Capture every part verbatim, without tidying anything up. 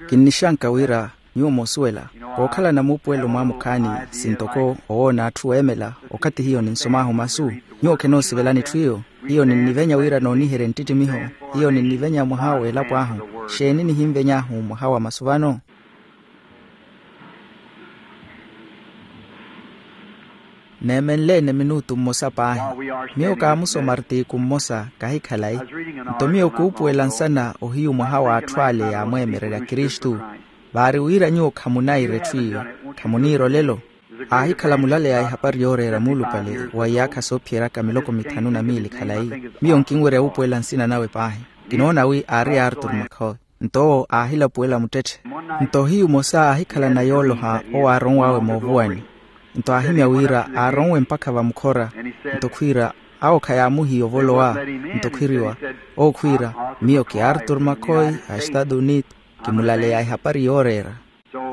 Kinnixanka wira nyuwo moosuwela, kookhalana muupuwelo mwaamukhaani, sintoko owoona atthu weemela. Okathi hiyo ninsomaahu masu, nyuwo khenoosivelani etthu iyo. Hiyo ninnivenya wira nooniherye nttittimiho. Hiyo ninnivenya mwaha w'elapo ahu. Xeeni nihinveny'ahu mwaha wa masu vano? Neemenle-ene minutu mmosa paahi. Miyo kaamusoma artiku mmosa kahi khalayi. Nto miyo kuupuwela nsana ohiyu mwaha w'atthu ale yaamweemererya kristu. Vaari wira nyuwo khamunaira etthu iyo, khamuniira olelo. Aahikhala mulaleya ehapari yooreera muulupale wa iyaakha soophiyeryaka miloko mithanu na miili khalayi. Miyo nkinwerya wuupuwela nsina nawe paahi. Kinoona wi aari artur makhoy. Nto owo aahilapuwela muttetthe. Nto ohiyu mmosa aahikhalana yooloha owo aaronw'awe moovuwani. Nto aahimya wira aaronwe mpakha vamukhora. Nto khwiira, awo khayaamuhiya ovolowa. Nto khwiriwa, owo khwiira, miyo ki artur makhoy, a estado unito, kimulaleya ehapari yooreera.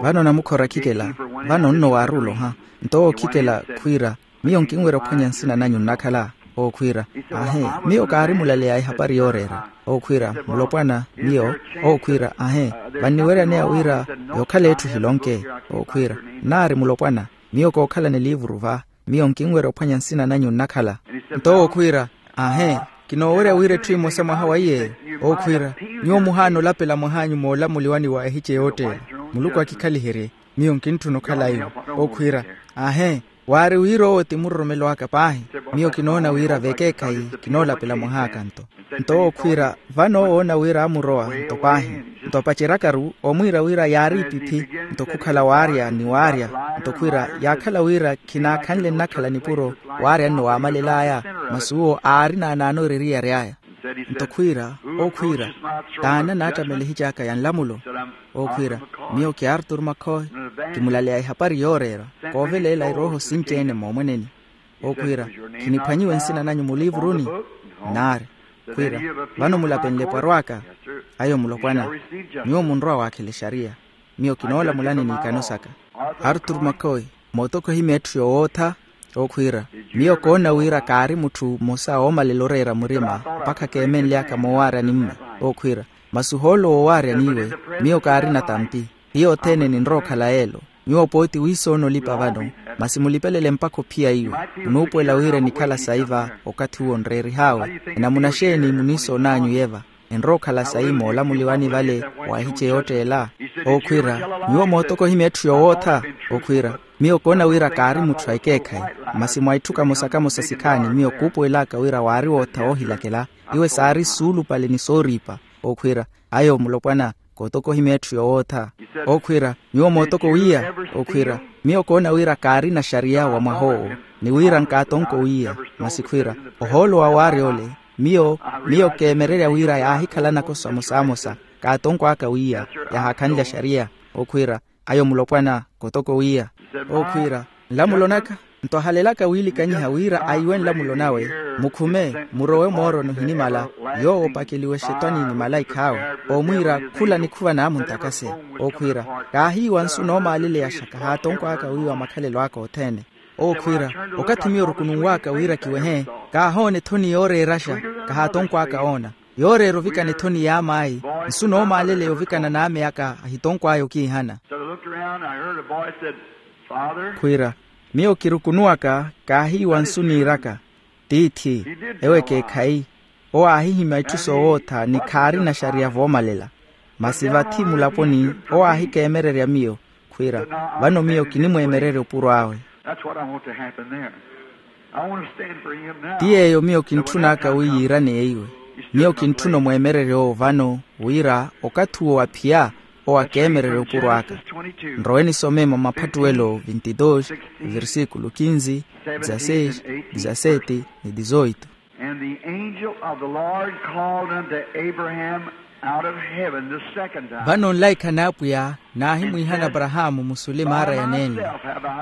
Vano namukhora khikela, vano nno waaruloha. Nto owo khikela khwiira, miyo nkinwerya ophwanya nsina nanyu nnakhala. Owo khwiira, ahe, miyo kaari mulaleya ehapari yooreera. Owo khwiira, mulopwana, miyo. Owo khwiira, ahe, vanniweryaneya wira yookhala etthu ehilonke. Owo khwiira, naari mulopwana, miyo kookhalana eliivuru va. Miyo nkinwerya ophwanya nsina nanyu nnakhala. Nto owo khwiira, ahe, kinoowerya wira etthu emosa mwaha wa iyeeyo. Owo khwiira, nyuwo muhaana olapela mwah'anyu moolamuliwani wa ehice yoottela. Muluku akikhaliherye. Miyo nkintthuna okhala iwo. Owo khwiira, ahe, waari wira owo ti muroromelo aka paahi. Miyo kinoona wira vekeekhayi kinoolapela mwah'aka nto. Nto owo khwiira, vano owo oona wira aamurowa nto paahi. Nto apaceryaka-ru omwiira wira yaari ipiphi. Nto khukhala waarya ni waarya. Nto khwiira, yaakhala wira khinaakhanle nnakhala nipuro, waarya nno waamalel'aya. Masi uwo aari naanaanoori eriyari aya. Nto khwiira, owo khwiira, t'ani anaattamela ehici aka ya nlamulo? Owo khwiira, miyo ki artur makhoy, kimulaleya ehapari yooreera, kooveleela erooho sinci-ene moomweneni. Owo khwiira, khiniphwanyiwe nsina nanyu muliivuruni? Naari. Khwiira, vano mulapenle epwaro aka? Ayo mulopwana, nyuwo munrowa waakhela exariya. Miyo kinoolamulani n'ikano saka. Artur makhoy, mootoko ohimya etthu yowootha. Owo khwiira, miyo koona wira kaari mutthu mmosa oomalela oreera murima mpakha keemenly'aka moowaarya nimme. Owo khwiira, masi ohoolo woowaarya n'iwe, miyo kaarina tampi. Hiyo othene ninrowa okhala yeelo. Nyuwo pooti wiisoona olipa vano, masi mulipelele mpakha ophiya iwe. Onuupuwela wira enikhala sayi va okathi uwo nreerih'awe. Enamuna xeeni muniisoon'anyu yeva? Enrowa okhala sayi moolamuliwani vale wa ehice yootteela. Owo khwiira, nyuwo mootoko ohimya etthu yowootha. Owo khwiira, miyo koona wira kaari mutthu a ekeekhayi. Masi mwa itthu kamosa kamosa sikhaani miyo kuupuwel'aka wira waari wootha woohilakela. Iwe saari suulupale ni sooriipa. Owo khwiira, ayo mulopwana, kootoko ohimya etthu yowootha. Owo khwiira, nyuwo mootoko wiiya? Owo khwiira, miyo koona wira kaarina xariya wa mwah'owo, ni wira nkaatonko wiiya. Masi khwiira, ohoolo wa waarya ole, miyo, miyo keemererya wira yaahikhalanaka osamosamosa, kaatonko aka wiiya, yahaakhanlya xariya. Owo khwiira, ayo mulopwana, kootoko wiiya. Owo khwiira, nlamulo naka. Nto ahalelaka wiilikanyiha wira aiwe nlamulo nawe, mukhume, murowe moorono ohinimala, yoowo opakeliwe exetwani ni malaikh'awe, omwiira khula nikhuva naamuntakase. Owo khwiira, kaahiiwa nsu noomaaleleyaxa, kahaatonkw'aka wiiwa makhalelo aka othene. Owo khwiira, okathi miyo orukununw'aka wira kiwehe, kaahoona ethoni yooreeraxa, kahaatonkw'aka oona. Yooreera ovikana ethoni y'amaayi, nsu noomaaleleya ovikana n'ame aka ahitonkw'aya okiihana. Khwiira, miyo kirukunuwaka, kaahiiwa nsu niiraka. Tiithi, ewo ekeekhayi, owo aahihimya itthu soowootha ni khaarina xariya voomalela. Masi vathi mulaponi, owo aahikeemererya miyo, khwiira, vano miyo kinimweemererya opuro awe. That's what I want to happen there. I want to stand for him now. Ti yeeyo miyo kintthun'aka wi yiiraneya iwe. Miyo kintthuna omweemererya owo vano, wira okathi uwo aphiya, owo akeemererya opuro aka. Nrowe nisome mwa maphattuwelo vintidus, versículo kinzi, dizaseis, dizaseti, ni dizoitu. And the angel of the Lord called unto Abraham out of heaven the second time. Vano nlaikha n'apwiya naahimwiihana aparahaamu musule maara ya neene.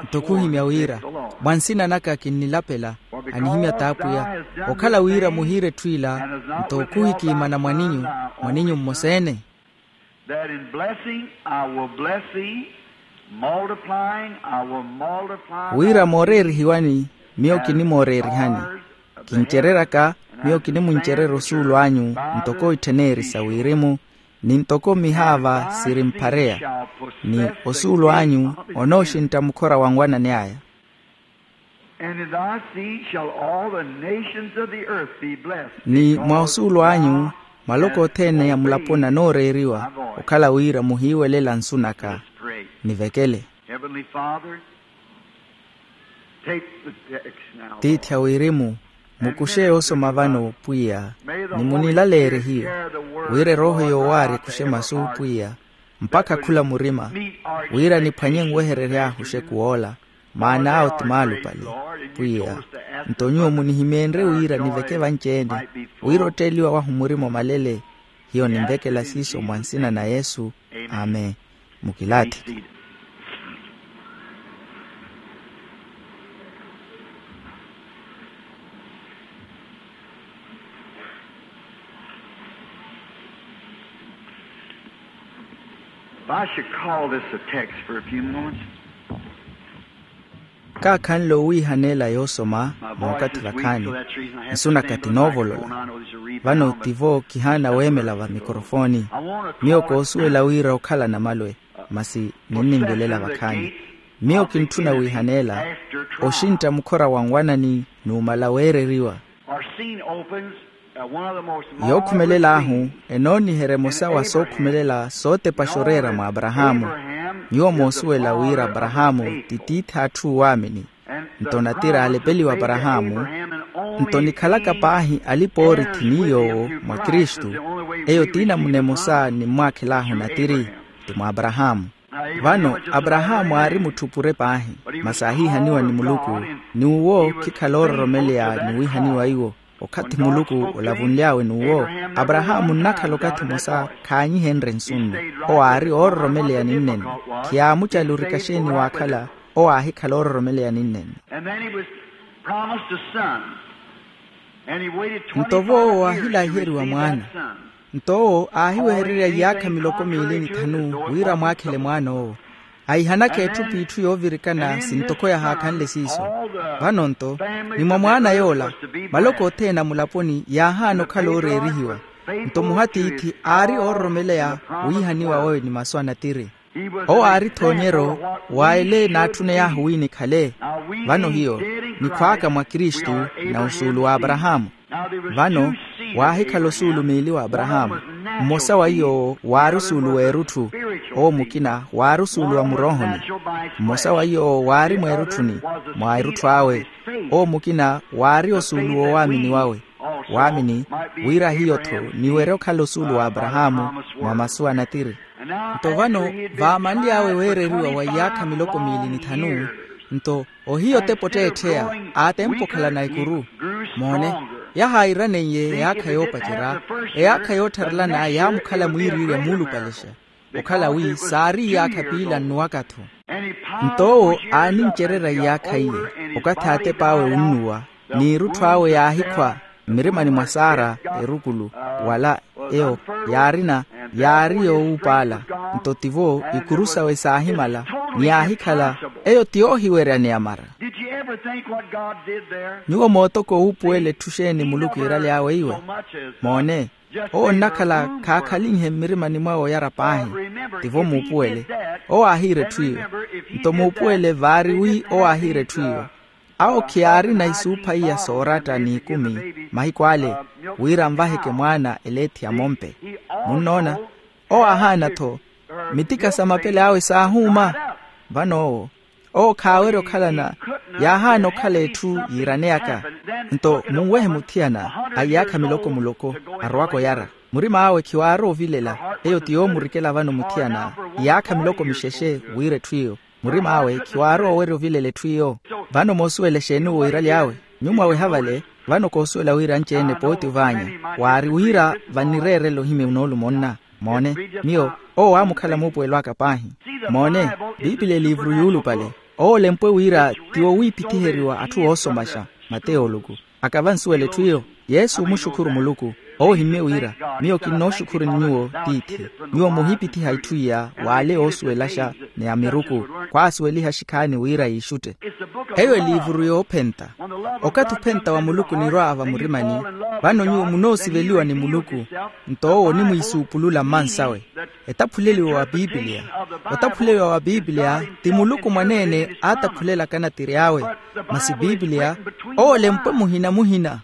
Nto khuhimya wira, mwa nsina naka kinnilapela, anihimya t'apwiya, okhala wira muhiire etthu ila. Nto khuhikiimana mwaninyu, mwaninyu mmosa-ene. That in blessing I will bless thee, multiplying I will multiply. Wira mooreerihiwani, miyo kinimooreerihani. Kincereryaka, miyo kinimuncererya osuulu anyu, ntoko ittheneyerisa wirimu. ni ntoko mihaava sirimphareya, ni osuulu anyu onooxintta mukhora wa nwanani aya. And in thy seed shall all the nations of the earth be blessed. Ni mwa osuulu anyu maloko othene a mulaponi anooreeriwa, okhala wira muhiiwelela nsu naka. Nivekele. Heavenly Father, take the text now. Tiithi a wirimu, mukuxe yoosoma vano pwiya, ni munilaleerye hiyo, wira erooho yoowaari ekuxe masu pwiya, mpakha khula murima, wira niphwanye nweherery'ahu oxekuw'ola, maana awo ti maalupale. Pwiya, nto nyuwo munihimeenrye wira niveke vanci-ene, wira otteeliwa wahu murima omalele. Hiyo ninvekela siiso mwa nsina na yesu. Amen. Mukilaathiki. If I should call this a text for a few moments. Kaakhanle owiihaneela yoosoma mookathi vakhaani. Nsu naka tinoovolola. Vano tivo kihaana weemela va mikorofooni. Miyo koosuwela wira okhalana malwe, masi ninninvelela vakhaani. Miyo kintthuna wiihaneela oxintta mukhora wa nwanani numala weereriwa. Yookhumelelahu enooniherya emosa wa sookhumelela sootepaxa oreera mwa aparahaamu. Nyuwo moosuwela wira aparahaamu ti tiithi atthu waamini. Nto natiri aalepeliwa aparahaamu. Nto nikhalaka paahi alipa-oorithi ni yoowo mwa kristu. Eyo ti namuna emosa nimmwaakhelahu natiri, ti mwa aparahaamu. Vano aparahaamu aari mutthu pure paahi, masi aahiihaniwa ni muluku. N'uwo khikhala oororomeleya ni wiihaniwa iwo. Okathi muluku olavunly'awe n'uwo, aparahaamu nnakhala okathi mmosa khaanyihenrye nsu nno. Owo aari oororomeleya ninneni. Khiyaamucalurika xeeni waakhala. Owo aahikhala oororomeleya ninneni. Nto voowo aahilahiheriwa mwaana. Nto owo aahiwehererya iyaakha miloko miili ni thanu wira amwaakhele mwaana owo. Ahihanaka etthu p'itthu yoovirikana sintoko yahaakhanle siiso. Vano nto, ni mwa mwaana yoola, maloko othene a mulaponi yaahaana okhala ooreerihiwa. Nto muhatiithi aari oororomeleya wiihaniwa wawe ni masu a natiri. Owo aari thoonyeryo wa ele naatthuney'ahu wi nikhale. Vano hiyo nikhwaaka mwa kristu, na osuulu wa aparahaamu. Vano waahikhala osuulu miili wa aparahaamu. Mmosa wa iy'owo waari osuulu w'erutthu. Owo mukina waari osuulu wa muroohoni. Mmosa wa iy'owo waari mweerutthuni, mwa erutthu awe. Owo mukina waari osuulu w'owaamini wawe. Waamini wira hiyo-tho niwerye okhala osuulu wa aparahaamu mwa masu a natiri. Nto vano vaamanly'awe weereriwa wa iyaakha miloko miili ni thanu. Nto ohiyo otepa otteettheya, aatempa okhalana ekuru. Moone, yahairaneiye eyaakha yoopacerya. Eyaakha yoottharelana yaamukhala mwiiriirya muulupalexa, okhala wi saari iyaakha piila nnuwaka-tho. Nto owo aanincererya iyaakha iye, okathi aatep'awe unnuwa, n'irutthu awe yaahikhwa mmirimani mwa saara erukulu, wala eyo yaarina, yaari yoowuupaala. Nto tivo ikuru sawe saahimala, ni yaahikhala. Eyo ti yoohiweryaneya mara. Nyuwo mootoko wuupuwela etthu xeeni muluku iiraly'awe iwe? Moone, owo nnakhala khaakhalinhe mmirimani mwawe oyara paahi. Tivo muupuwele, owo aahiira etthu iyo. Nto muupuwele vaari wi owo aahiira etthu iyo. Awo khiyaarina isuupha iya sooratta n'ikumi mahiku ale, wira anvaheke mwaana eleethi ya mompe. Munnoona, owo aahaana-tho. Mitika sa mapele awe saahuuma. Vano owo, owo khaawerya okhalana. Yaahaana okhala etthu yiiraneyaka. Nto munwehe muthiyana a iyaakha miloko muloko, arowaka oyara. Murima awe khiwaari ovilela. Eyo ti yoomurikela vano muthiyana iyaakha miloko mixexe wira etthu iyo. Murima awe khiwaari owerya ovilela etthu iyo. Vano moosuwela exeeni owo iiraly'awe? Nyuwo mwaweha vale. Vano koosuwela wira anci-ene pooti ovaanya, waari wira vanireerela ohimya noolumo nna. Moone, miyo owo waamukhala muupuwelo aka paahi. Moone, piipili eliivuru yuulupale. Owo olempwe wira ti wowiipithiheriwa atthu oosomaxa. Mateyo oluku. Aka vansuwela etthu iyo. Yesu omuxukhuru muluku. Owo ohimmye wira, miyo kinnooxukhuruni nyuwo tiithi. Nyuwo muhipithiha itthu iya w'ale oosuwelaxa ni amiruku. Khwaasuweliha xikhaani wira yiixutte. Eyo eliivuru yoophenta. Okathi ophenta wa muluku onirwa vamurimani, Vano nyuwo munoosiveliwa ni muluku, nto owo onimwiisuupulula mmansawe. Etaphuleliwa wa piipiliya. Otaphuleliwa wa piipiliya ti muluku mwaneene aataphulelaka anatir'awe. Masi piipiliya owo olempwe muhina muhina.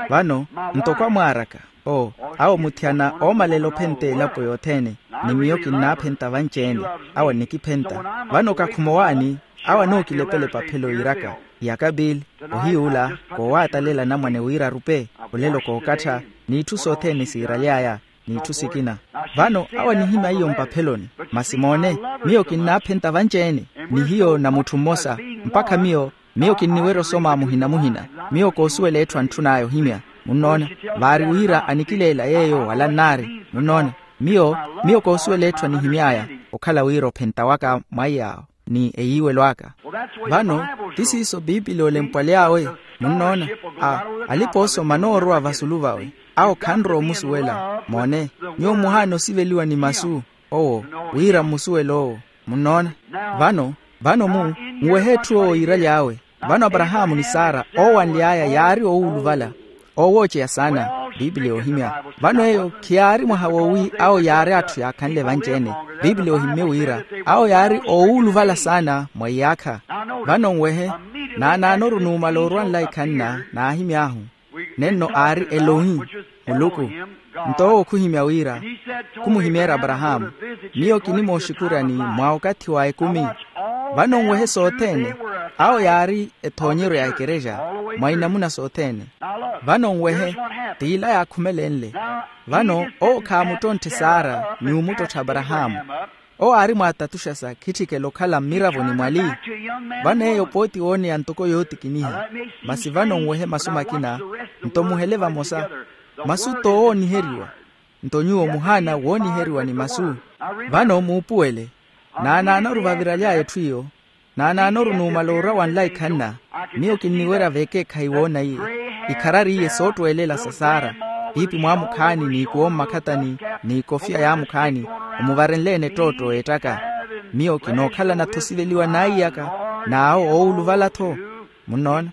Vano, ntoko amwaaraka, o, awo muthiyana oomalela ophenta elapo yothene, ni miyo kinnaaphenta vanci-ene. Awo annikiphenta. Vano kakhuma owaani, awo anookilepela epaphelo yiiraka, yaka pili, ohiy'ula koowaatalela anamwane wira arupe. Olelo kookattha, n'itthu sothene siiraly'aya, n'itthu sikina. Vano awo anihimya iyo mpapheloni. Masi moone, miyo kinnaaphenta vanci-ene, ni hiyo na mutthu mmosa, mpakha miyo, miyo kinniwerya osoma muhina muhina. Miyo koosuwela etthu antthun'aya ohimya. Munnoona? Vaari wira anikileela yeeyo wala nnaari. Munnoona? Miyo, miyo koosuwela etthu anihimy'aya, okhala wira ophenta waka mwaiy'awo ni eyiiwelo aka. Vano, ti siiso piipiliya olempwaly'awe. Munnoona? A, alipa oosoma anoorowa vasulu vawe, awo khanrowa omusuwela. Moone, nyuwo muhaana osiveliwa ni masu owo, wira mmusuwele owo. Munnoona? Vano, vano mu, muwehe etthu owo yiiraly'awe. Vano aparahaamu ni sara oowanly'aya yaari oowuluvala, oowooceya saana. Piipiliya yoohimya. Vano eyo khiyaari mwaha woowi awo yaari atthu yaakhanle vanci-ene. Piipiliya yoohimmye wira awo yaari oowuluvala saana mwa iyaakha. Vano nwehe, naanaanoru numala orwa nlaikhanna naahimy'ahu. Nenno aari elohi, muluku. Nto owo khuhimya wira, khumuhimeerya aparahaamu, miyo kinimooxukuryani mwa okathi wa ekumi. Vano nwehe sothene, awo yaari ethoonyeryo ya ekerexa mwa inamuna sothene. Vano nwehe, t'ila yaakhumelenle. Vano owo khaamuttontthi sara ni omuttottha aparahaamu. Owo aari mwaatatuxasa khitthikela okhala mmiravoni mwali. Vano eyo pooti wooneya ntoko yootikiniha. Masi vano nwehe masu makina, nto muhele vamosa. Masu t'owooniheriwa. Nto nyuwo muhaana wooniheriwa ni masu. Vano muupuwele, naanaanoru vaviraly'aya etthu iyo. Naanaanoru numala orwa wa nlaikhanna, miyo kinniwerya vekeekhayi woona iye. Ikharari iye soottweelela sa sara, piipi mwaamukhaani n'ikuwo mmakhatani, n'ikofiya yaamukhaani, omuvarenle-ene ettootto ettaka. Miyo kinookhalana-tho osiveliwa n'aiyaka, n'awo oowuluvala-tho. Munnoona?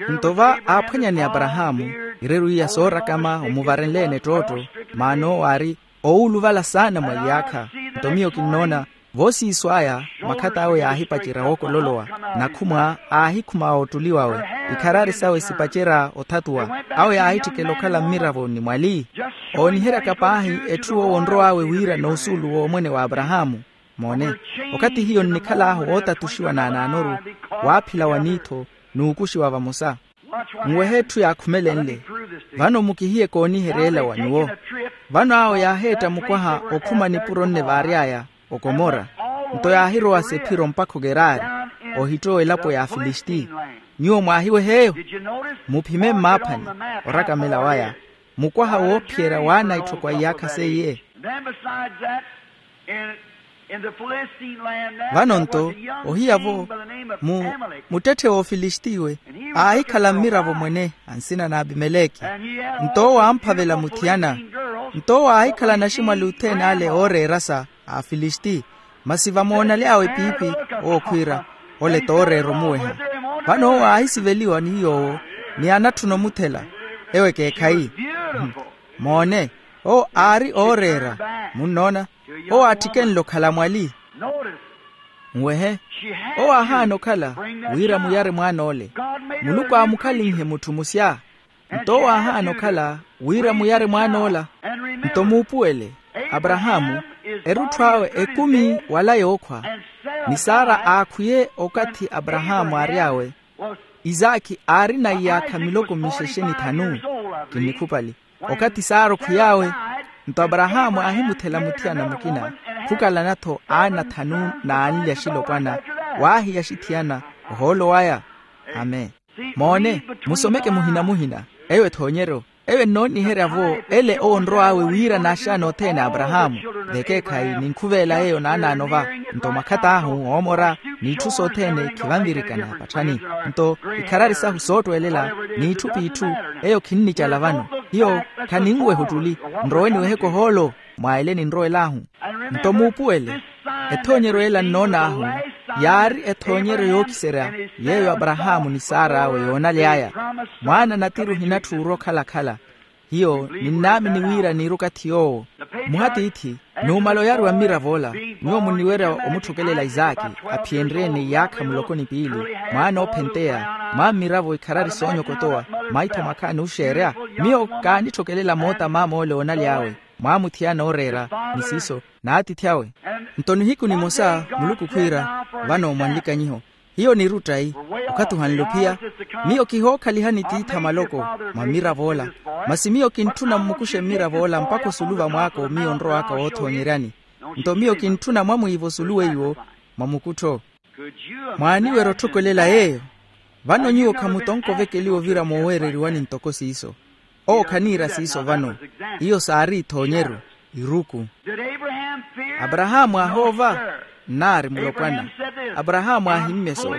Nto va aaphwanya ni aparahaamu, ireru iya soorakama omuvarenle-ene ettootto. Maana owo aari oowuluvala saana mwa iyaakha. Nto miyo kinnoona, voosiiso aya, makhat'awe yaahipacerya wookololowa, nakhumwa aahikhuma ottuli wawe, ikharari sawe sipacerya othatuwa. Awo yaahitthikela okhala mmiravo ni mwali. Ooniheryaka paahi etthu owo onrow'awe wira n'usuulu w'omwene wa aparahaamu. Moone, okathi hiyo nnikhal'ahu wootatuxiwa naanaanoru, waaphila wa niitho, n'ukuxiwa vamosa. Nwehe etthu yaakhumelenle. Vano mukihiye kooniheryela wa nyuwo. Vano awo yaaheetta mukwaha okhuma nipuro nne vaary'aya okomora. Nto yaahirowa sephiro mpakha okerari, ohittowa elapo ya afilisti. Nyuwo mwaahiweha eyo? Muphime mmaaphani orakamela waya, mukwaha woophiyerya waana itthu kwa iyaakha seiye. Vano nto ohiya-vo, mu muttetthe w'ofilistiwe aahikhala mmiravo mwene a nsina n'apimeleki. Nto owo aamphavela muthiyana. Nto owo aahikhala naximwali othene ale ooreerasa a afilisti. Masi vamoonaly'awe piipi, owo khwiira, ole tooreera omuweha. Vano owo aahisiveliwa ni yoowo, ni anatthuna omuthela. Ewo ekeekhayi. Moone, owo aari ooreera. Munnoona? Owo aatthikenle okhala mwali. Nwehe, owo aahaana okhala wira muyare mwaan'ole. Muluku aamukhalinhe mutthu musya. Nto owo aahaana okhala wira muyare mwaan'ola. Nto muupuwele, aparahaamu erutthu awe ekumi wala yookhwa. Ni sara aakhwiye okathi aparahaamu aary'awe. Isaakhi aarina iyaakha miloko mixexe ni thanu. Kinnikhupali. Okathi sara okhwiy'awe, nto aparahaamu aahimuthela muthiyana mukina, khukalana-tho aana thanu n'anli axilopwana. Waahiya axithiyana ohoolo waya. Amen. Moone, musomeke muhina muhina. Eyo ethoonyeryo, eyo ennooniherya-vo ele owo onrow'awe wira n'axaana othene a aparahaamu. Vekeekhayi ninkhuveela yeeyo naanaano va. Nto mwakhata ahu oomora, n'itthu sothene khivanvirikana patthani. Nto ikharari sahu soottweelela, n'itthu p'itthu, eyo khinnicala vano. Hiyo khaninweha ottuli. Nrowe niweheke ohoolo mwa ele ninrowel'ahu. Nto muupuwele, ethoonyeryo ela nnoon'ahu yaari ethoonyeryo yookiserya yeeyo aparahaamu ni sar'awe yoonaly'aya. Mwaana natiri ohinatthi orwa okhala-khala. Hiyo ninnaamini wira niiruka thiy'owo. Muhatiithi, numala oyaruwa mmirav'ola, nyuwo muniwerya omutthukelela isaaki, aphiyenrye-ene iyaakha muloko ni piili, mwaana oophenteya, mwa mmiravo ikharari soonyokotowa, maitho mwakhaani oxeerya. Miyo kaanitthukelela moota maam'ole oonaly'awe, mwaamuthiyana ooreera, ni siiso, n'atiithi awe. Nto nihiku nimosa muluku khwiira, vano mwanlikanyiho, hiyo niiru ottayi, okathi ohanle ophiya. Miyo kihookhalihani tiithi a maloko, mwa mmirav'ola. Masi miyo kintthuna mmukuxe mmirav'ola mpakha osulu vamwaako miyo onrow'aka woothoonyeryani. Nto miyo kintthuna mwamwiivo osulu weiwo, mwa mukuttho. Mwaaniwerya otthokolela yeeyo? Vano nyuwo khamutonka ovekeliwa ovira mooweereriwani ntoko siiso. Owo khaniira siiso vano. Iyo saari ithoonyeru, iruku. Aparahaamu aahoova? Nnaari mulopwana. Aparahaamu aahimmye so,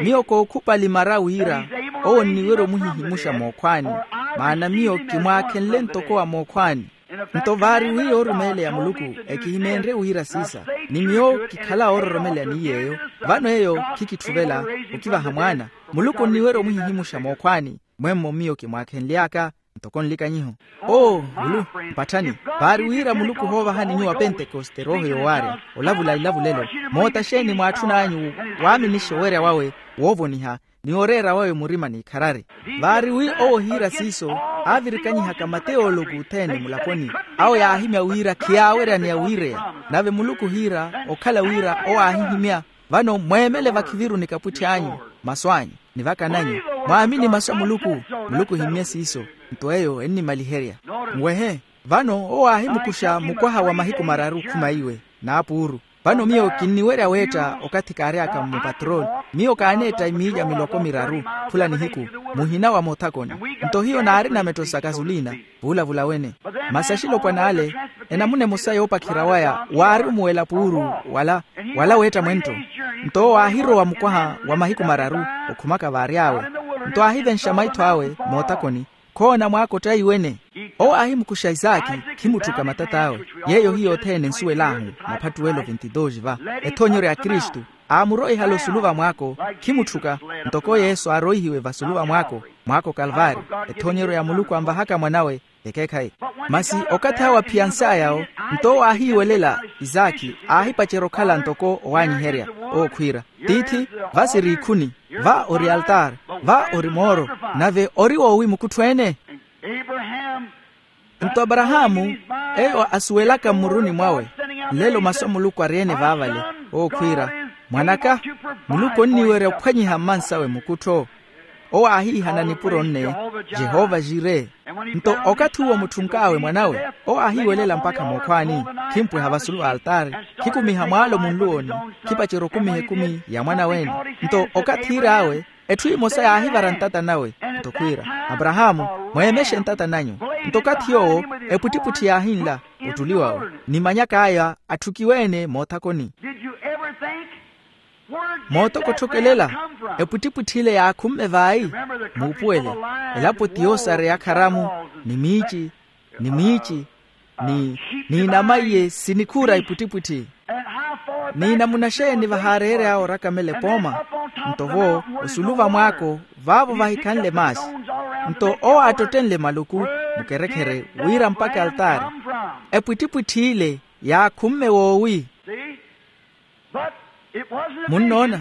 miyo kookhupali mara wira owo onniwerya omuhihimuxa mookhwaani, maana miyo kimwaakhenle ntoko wa mookhwaani. Nto vaari wi yoorumeeleya muluku, ekihimeenrye wira siisa, ni miyo kikhala oororomeleya ni yeeyo. Vano eyo khikitthuvelela okivaha mwaana. Muluku onniwerya omuhihimuxa mookhwaani, mwemmo miyo kimwaakhenly'aka. Ntoko nlikanyiho, oo, ulu, mpatthani, vaari wira muluku ohoovahani nyuwo apentekoste erooho yoowaarya, olavula ilavulelo. Moota xeeni mwaatthun'anyu waaminixa owerya wawe, woovoniha, ni oreera wawe murima n'ikharari? Vaari wi owo ohiira siiso, aavirikanyihaka mateyooloku othene mulaponi, awo yaahimya wira khiyaaweryaneya wiireya. Nave muluku ohiira okhala wira owo aahihimya. Vano mweemele vakhiviru nikapwitthi anyu, masu anyu, ni vaka nanyu. Mwaamini masu a muluku. Muluku ohimmye siiso. Nto eyo ennimaliherya. Nwehe, vano owo aahimukuxa mukwaha wa mahiku mararu okhuma iwe, n'apuuru. Vano miyo kinniwerya weetta okathi kaary'aka mmupatrooli. Miyo kaaneetta imiilya miloko miraru, khula nihiku, muhina wa moothakoni. Nto hiyo naarina mettho sa kasuliina, vuulavula wene. Masi axilopwan'ale, enamuna emosa yoopakhira waya waari omuwela puuru, wala, wala weetta mwenttho. Nto owo aahirowa mukwaha wa mahiku mararu, okhumaka vaary'awe. Nto aahivenxa maitho awe moothakoni, khoona mwaaka ottayi wene. Owo aahimukuxa isaaki, khimutthuka matat'awe. Yeeyo hiyo othene ensuwel'ahu, maphattuwelo vintitoxi va, ethoonyeryo ya kristu. Aamuroihala osulu vamwaako, khimutthuka, ntoko yesu aaroihiwe vasulu vamwaako, mwaaka okalvaari. Ethoonyeryo ya muluku anvahaka mwan'awe, ekeekhayi. Masi okathi awo aphiyans'aya yawo, nto owo aahiiwelela isaaki, aahipacerya okhala ntoko owaanyiherya, ookhwiira, tiithi, va siri ikhuni, va ori altaari, va ori mooro, nave ori woowi mukuttho-ene. Nto aparahaamu, eyo asuwelaka mmuruni mwawe, nlelo masu a muluku ari-ene vaavale, ookhwiira, mwan'aka, muluku onniwerya ophwanyiha mmansawe mukuttho. Owo aahiihana nipuro nne, jehova jire. Nto okathi uwo mutthunk'awe mwan'awe, owo aahiiwelela mpakha mookhwaani, khimpweha vasulu va altaari, khikumiha mwaalo munluwoni, khipacerya okumiha ekumi ya mwan'awe-ene. Nto okathi iir'awe, etthu emosa yaahivara ntata nawe, nto khwiira, aparahaamu, mweemexe ntata nanyu. Nto okathi yoowo, epwittipwitthi yaahinla, ottuli wawe, ni manyak'aya atthukiwe-ene moothakoni. Mootoko otthokelela, epwittipwitthi ile yaakhumme vaayi? Muupuwele, elapo ti yoosareya kharamu, ni miici, ni miici, ni, n'inama iye sinikhuura ipwittipwitthi. N'inamuna xeeni vahaareerya orakamela epooma? Nto vo, osulu vamwaako, vaavo vahikhanle maasi. Nto owo aattottenle maluku, mukerekhere, wira mpakha altaari. Epwittipwitthi ile yaakhumme woowi? Munnoona?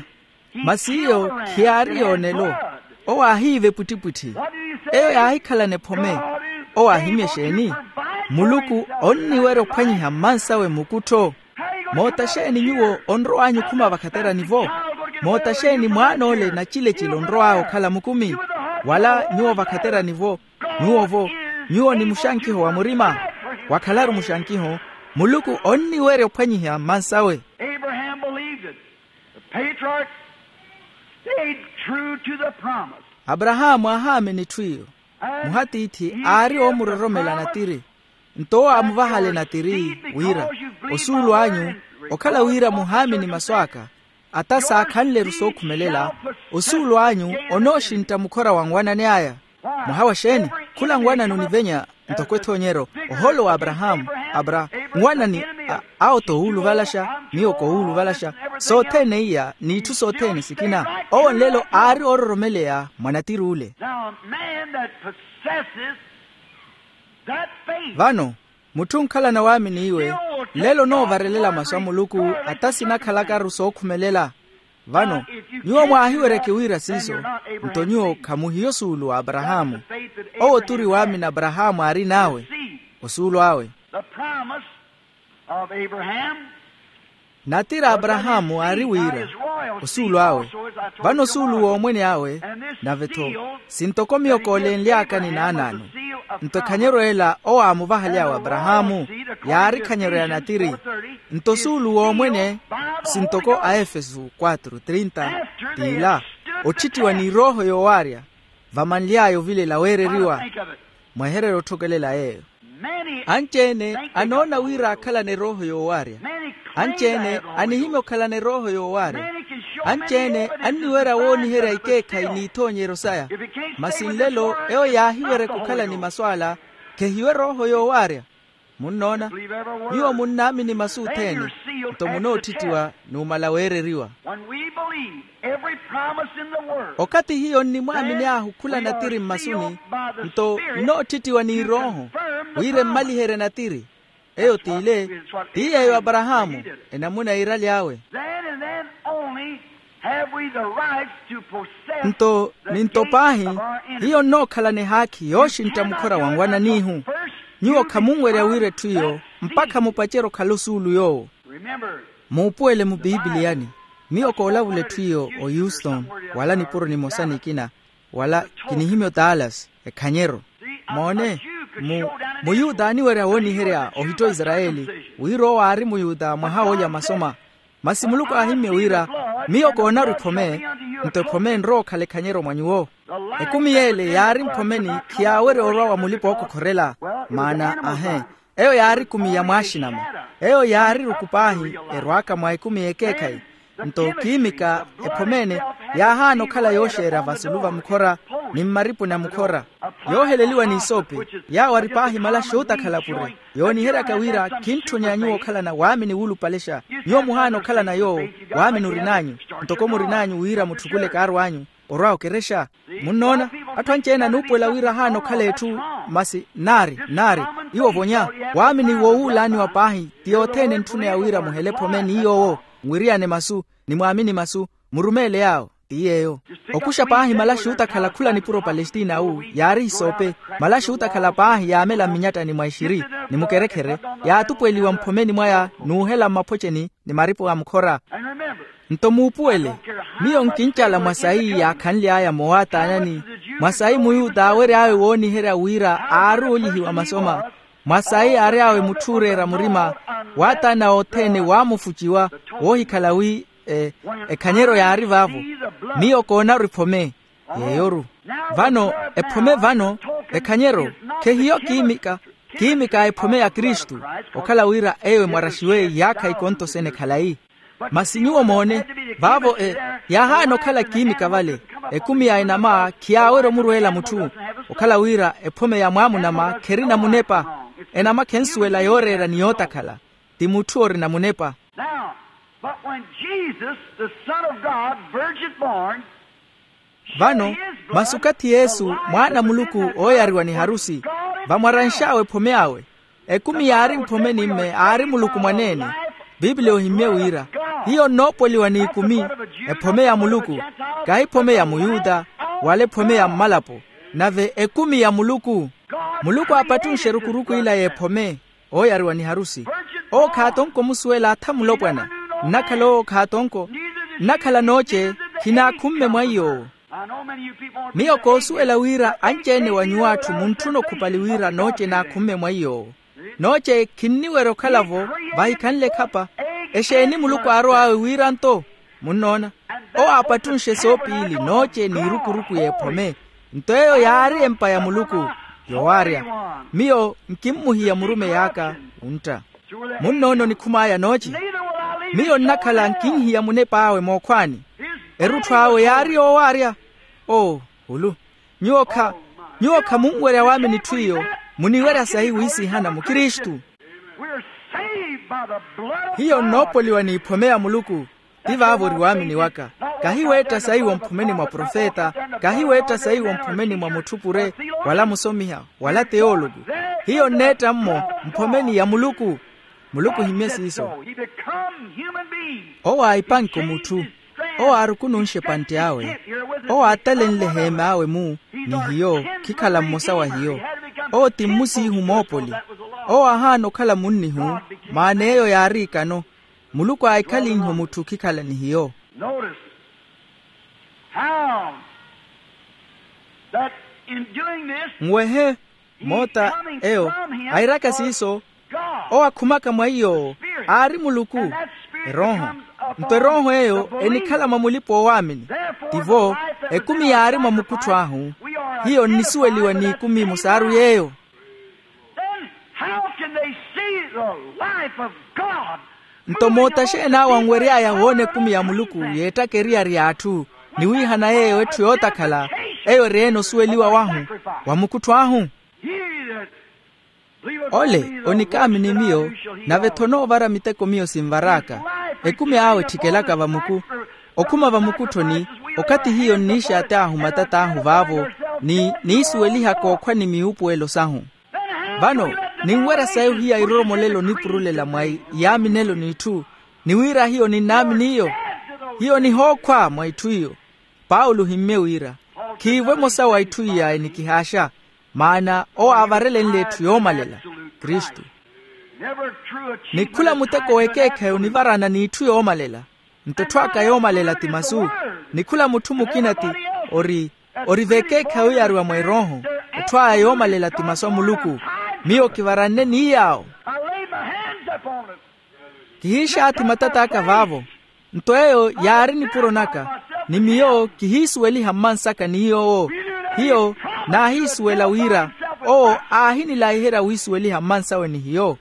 Masi iyo khiyaari yoonelo. Owo aahiiva epwittipwitthi. Eyo yaahikhalana ephome. Owo aahimya exeeni? Muluku onniwerya ophwanyiha mmansawe mukuttho. Moota xeeni nyuwo onrow'anyu okhuma vakhaterani-vo? Moota xeeni mwaan'ole nacilecile onrow'awe okhala mukumi? Wala nyuwo vakhaterani-vo? Nyuwo-vo, nyuwo ni muxankiho wa murima. Wakhalaru muxankiho, muluku onniwerya ophwanyiha mmansawe. Abraham believed it. The patriarch stayed true to the promise. Aparahaamu aahaamini etthu iyo. Muhatiithi aari oomuroromela natiri. Nto owo aamuvahale natiri, wira, osuulu anyu, okhala wira muhaamini masu aka, ata saakhanle-ru sookhumelela, osuulu anyu onooxintta mukhora wa nwanani aya. Mwaha wa xeeni? Khula nwanani onivenya, ntoko ethoonyero, ohoolo wa aparahaamu. Apra, nwanani, awo toowuluvalaxa, miyo koowuluvalaxa. Sothene iya n'itthu sothene sikina. Owo nlelo aari oororomeleya mwa natiri ule. Now a man that possesses Vano, mutthu onkhalana waamini iwe, nlelo onoovarelela masu a muluku, ata sinakhalakaru sookhumelela. Vano, nyuwo mwaahiweryeke wira siiso, nto nyuwo khamuhiyo osuulu wa aparahaamu. Owo turi waamini aparahaamu aarin'awe, osuulu awe. Natiri a aparahaamu aari wira, osuulu awe. Vano osuulu w'omwene awe, nave-tho, sintoko miyo koolenly'aka ni naanaano. Nto ekhanyero ela owo aamuvahaly'awe aparahaamu, yaari ekhanyero ya natiri. Nto osuulu w'omwene, sintoko aefesu quatro trinta, t'ila, otthittiwa ni erooho yoowaarya, vamanly'aya ovilela weereriwa. Mwehererye otthokelela yeeyo. Anci-ene anoona wira aakhalana erooho yoowaarya. Anci-ene anihimya okhalana erooho yoowaarya. Anci-ene anniwerya wooniherya ikeekhayi n'ithoonyeryo saya. Masi nlelo eyo yaahiweryeke okhala ni masu ala, khehiwe erooho yoowaarya. Munnoona? Nyuwo munnaamini masu othene, nto munoottittiwa numala weereriwa. Okathi hiyo nnimwaamini ahu khula natiri mmasuni, nto nnoottittiwa n'irooho, wira emmaliherye natiri. Eyo t'ile, ti yeeyo aparahaamu, enamuna yiiraly'awe. Nto ninto paahi, hiyo nnookhalana ehaakhi yooxintta mukhora wa nwananihu. Nyuwo khamunwerya wira etthu iyo, mpakha mupacerye okhala osuulu yoowo. Muupuwele mupipiliyani, miyo koolavula etthu iyo o houston, wala nipuro nimosa nikina, wala kinihimya o dallas, ekhanyero. Moone, mu muyuta aaniwerya wooniherya ohitto isarayeli, wira owo aari muyuta mwaha woolya masoma. Masi muluku aahimmye wira, miyo koonaru ephome, nto ephome enrowa okhala ekhanyero mwa nyuwo. Ekumi y'ele yaari mphomeni, khiyaawerya orwa wa mulipa-ookokhorela. Maana ahe, eyo yaari ekumi ya mwaaxinama. Eyo yaari eruku paahi, erwaaka mwa ekumi y'ekeekhayi. Nto kiimika, ephomene, yaahaana okhala yooxeerya vasulu va mukhora, ni mmaripuni a mukhora, yooheleliwa n'isoopi, yaawo ari paahi malaxi ootakhala pure. Yooniheryaka wira khintthonya nyuwo okhalana waamini wuulupalexa. Nyuwo muhaana okhalana yoowo, waamini orin'anyu, ntoko murin'anyu wira mutthukule kaarw'anyu, orwa okerexa. Munnoona, atthu anci-ene anuupuwela wira ahaana okhala etthu. Masi nnaari nnaari, iwo vonya, waamini woowuulaaniwa paahi ti yothene entthuneya wira muhele ephome ni yoowo, nwiriyane masu, ni mwaamini masu, murumeele yaawo. Ti yeeyo. Okuxa paahi malaxi ootakhala khula nipuro palestina awu, yaari hisoope. Malaxi ootakhala paahi yaamela mminyattani mwa ixiri, ni mukerekhere, yaatupuweliwa mphomeni mwaya, n'uhela mmaphocheni, ni maripo a mukhora. Nto muupuwele, miyo nkincala mwa sayi yaakhanly'aya moowaataanani, mwa sayi muyuta aawery'awe wooniherya wira aari oolyihiwa masoma, mwa sayi aary'awe mutthu ooreera murima, waataana othene waamufuciwa, woohikhala wi, e, ekhanyeryo yaari vaavo. Miyo koonaru ephome, yeeyoru. Vano, ephome vano, ekhanyeryo, khehiyo kiimika, kiimika ephome ya kristu, okhala wira eyo emwaraxiwe iyaakha ikontosene ekhalayi. Masi nyuwo moone, vaavo e, yaahaana okhala kiimika vale, ekumi ya enama khiyaawerya omurweela mutthu, okhala wira ephome ya mwaamunama kherina munepa. Enama khensuwela yooreera ni yootakhala, ti mutthu orina munepa. Now, but when Jesus, the Son of God, virgin born, vano, masi okathi yesu mwaana a muluku ooyariwa ni harusi, vamwaranx'awe ephome awe. Ekumi yaari mphome ni mme aari muluku mwaneene. Pipiliya ohimmye wira, hiyo nnoopoliwa n'ikumi, ephome ya muluku, kahi ephome ya muyuta, wala ephome ya mmalapo, nave ekumi ya muluku. Muluku aapattunxe erukuruku ila y'ephome, ooyariwa ni harusi. Owo khaatonko omusuwela atha mulopwana. Nnakhala owo khaatonko, nnakhala nooce, khinaakhumme mwa iy'owo. Miyo koosuwela wira anci-ene wa nyuwo atthu muntthuna okhupali wira nooce naakhumme mwa iy'owo. Nooce khinniwerya okhala-vo, vahikhanle ekhapa. Exeeni muluku aarow'awe wira nto? Munnoona, owo aapattunxe soopiili nooce n'irukuruku y'ephome. Nto eyo yaari empa ya muluku, yowaarya. Miyo nkimmuhiya murumeyi aka, wuntta. Munnoona onikhum'aya nooce? Miyo nnakhala nkinhiya munep'awe mookhwaani. Erutthu awe yaari yoowaarya. Oo, hulu. Nyuwo kha, nyuwo khamunwerya waamini etthu iyo. Muniwerya sayi wiisihana mukristu. Hiyo nnoopoliwa n'iphome ya muluku. Ti vaavo ori waamini waka. Kahi weetta sayi womphomeni mwa profeta, kahi weetta sayi womphomeni mwa mutthu pure, wala musomiha, wala teologu. Hiyo nneetta-mmo mphomeni ya muluku. Muluku ohimmye siiso. Owo aahipanke omutthu. Owo aarukununxe epantte awe. Owo aatalenle eheem'awe-mu ni hiyo khikhala mmosa wa hiyo. Owo ti mmusiihu moopoli. Owo aahaana okhala munnihu. Maana eyo yaari ikano. Muluku aahikhalinhe omutthu khikhala ni hiyo. Notice how that in doing this, nwehe moota eyo airaka siiso. Owo akhumaka mwa iy'owo aari muluku. Erooho nto erooho eyo enikhala mwa mulipa oowaamini. Tivo ekumi yaari mwa mukuttho ahu. Hiyo nnisuweliwa n'ikumi musaaru yeeyo. Then how can they see the life of God? Nto moota xeeni awo anwery'aya woona ekumi ya muluku yeettaka eriyari y'atthu ni wiihana yeeyo etthu yootakhala eyo eri-ene osuweliwa wahu wa mukuttho ahu? Ole onikaamini miyo nave-tho onoovara miteko miyo sinvar'aka. Ekumi awe etthikelaka vamuku okhuma vamukutthoni okathi hiyo nniixaati ahu matat'ahu vaavo ni niisuwelihaka okhwa ni miupuwelo sahu. Vano ninwerya sayi ohiya iroromolelo nipurulela mwa iyaaminelo n'itthu ni wira hiyo ninnaamini iyo. Hiyo nihookhwa mwa itthu iyo. Paulo ohimmye wira khiivo emosa wa itthu iya enikihaaxa. Maana owo aavarelenle etthu yoomalela kristu. Ni khula muteko w'ekeekhayi onivarana n'itthu yoomalela. Nto etthu aka yoomalela ti masu. Ni khula mutthu mukina ti ori ori v'ekeekhayi oyariwa mwa erooho. Etthu aya yoomalela ti masu a muluku. Miyo kivaranne ni yaawo. Kihiixaathi matat'aka vaavo. Nto eyo yaari nipuro naka ni miyo kihiisuweliha mmansaka ni yoowo. Hiyo naahiisuwela wira owo aahinilayiherya wiisuweliha mmansawe ni hiyo.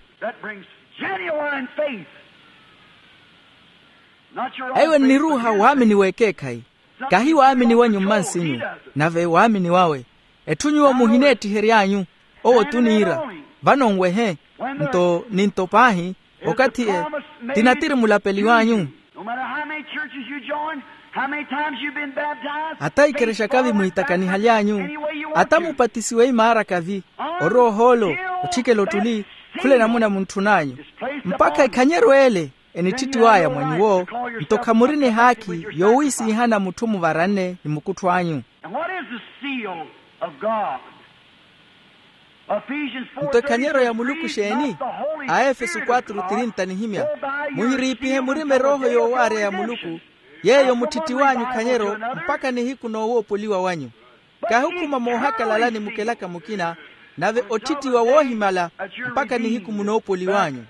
Eyo nniruuha waamini w'ekeekhayi. Kahi waamini wanyu mmansinyu nave waamini wawe. Etthu nyuwo muhineettihery'anyu owo tuniira. Vano nwehe nto ninto paahi okathi e tinatiri mulapeli w'anyu. Hata ikerexa kavi muhitakanihaly'anyu ata mupatisiwe imaara kavi orowa ohoolo otthikela ottuli khula enamuna muntthun'anyu mpakha ekhanyeryo ele enittittiw'aya mwa nyuwo. Nto khamuri nihaakhi yowiisiihana mutthu muvaranne ni mukuttho anyu. Nto ekhanyeryo ya muluku exeeni? Aefeso quatro trinta nihimya muhiriipihe murima erooho yoowaarya ya muluku yeeyo mutthittiw'anyu khanyeryo mpakha nihiku noowoopoliwa wanyu. Kahi okhuma moohakalalani mukelaka mukina nave otthittiwa woohimala mpakha nihiku munoopoliw'anyu.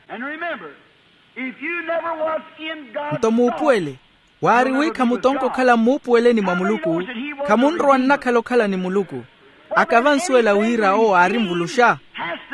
Nto muupuwele waari wi khamutonka okhala mmuupuweleni mwa muluku. Khamunrowa nnakhala okhala ni muluku. Aka vansuwela wira owo aari nvuluxa.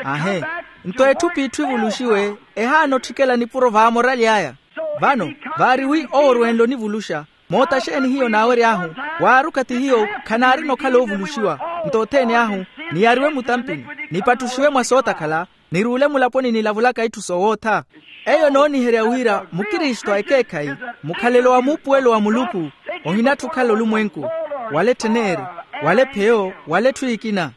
Ahe nto etthu p'itthu ivuluxiwe ehaana otthikela nipuro vaamorali aya. Vano vaari wi owo orwenle onivuluxa. Moota xeeni hiyo naawery'ahu waaruka ti hiyo khanaarina okhala oovuluxiwa. Nto othene ahu niyariwe mutampini nipattuxiwe mwa sootakhala niruule mulaponi nilavulaka itthu soowootha. Eyo enooniherya wira mukristu a ekeekhayi mukhalelo wa muupuwelo wa muluku. Ohinatthu okhala olumwenku wala ettheneri wala epheyo wala etthu ekina.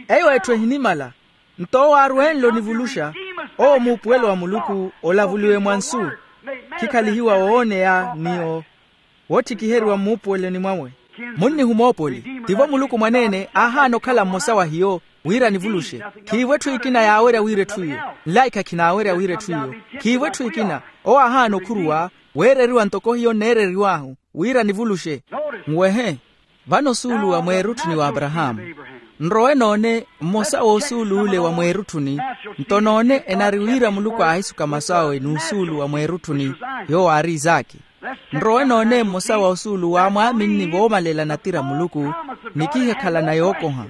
Eyo etthu ehinimala. Nto owo aarwenle onivuluxa owo muupuwelo wa muluku olavuliwe mwa nsu. Khikhalihiwa wooneya ni woottthikiheriwa mmuupuweloni mwawe. Munnihu moopoli tivo muluku mwaneene aahaana okhala mmosa wa hiyo wira nivuluxe. Khiivo etthu ekina yaawerya wira etthu iyo nlaikha khinaawerya wira etthu iyo. Khiivo etthu ekina owo aahaana okhuruwa weereriwa ntoko hiyo nneereriw'ahu wira nivuluxe. Nwehe vano osuulu wa mweerutthuni w'aparahaamu. Nrowe noone mmosa w'osuulu ole wa mweerutthuni. Nto noone enari wira muluku aahisuka masu awe n'usuulu wa mweerutthuni yoowo aari isaki. Nrowe noone mmosa wa osuulu waamwaaminni voomalela natira muluku ni kihikhalana yookoha.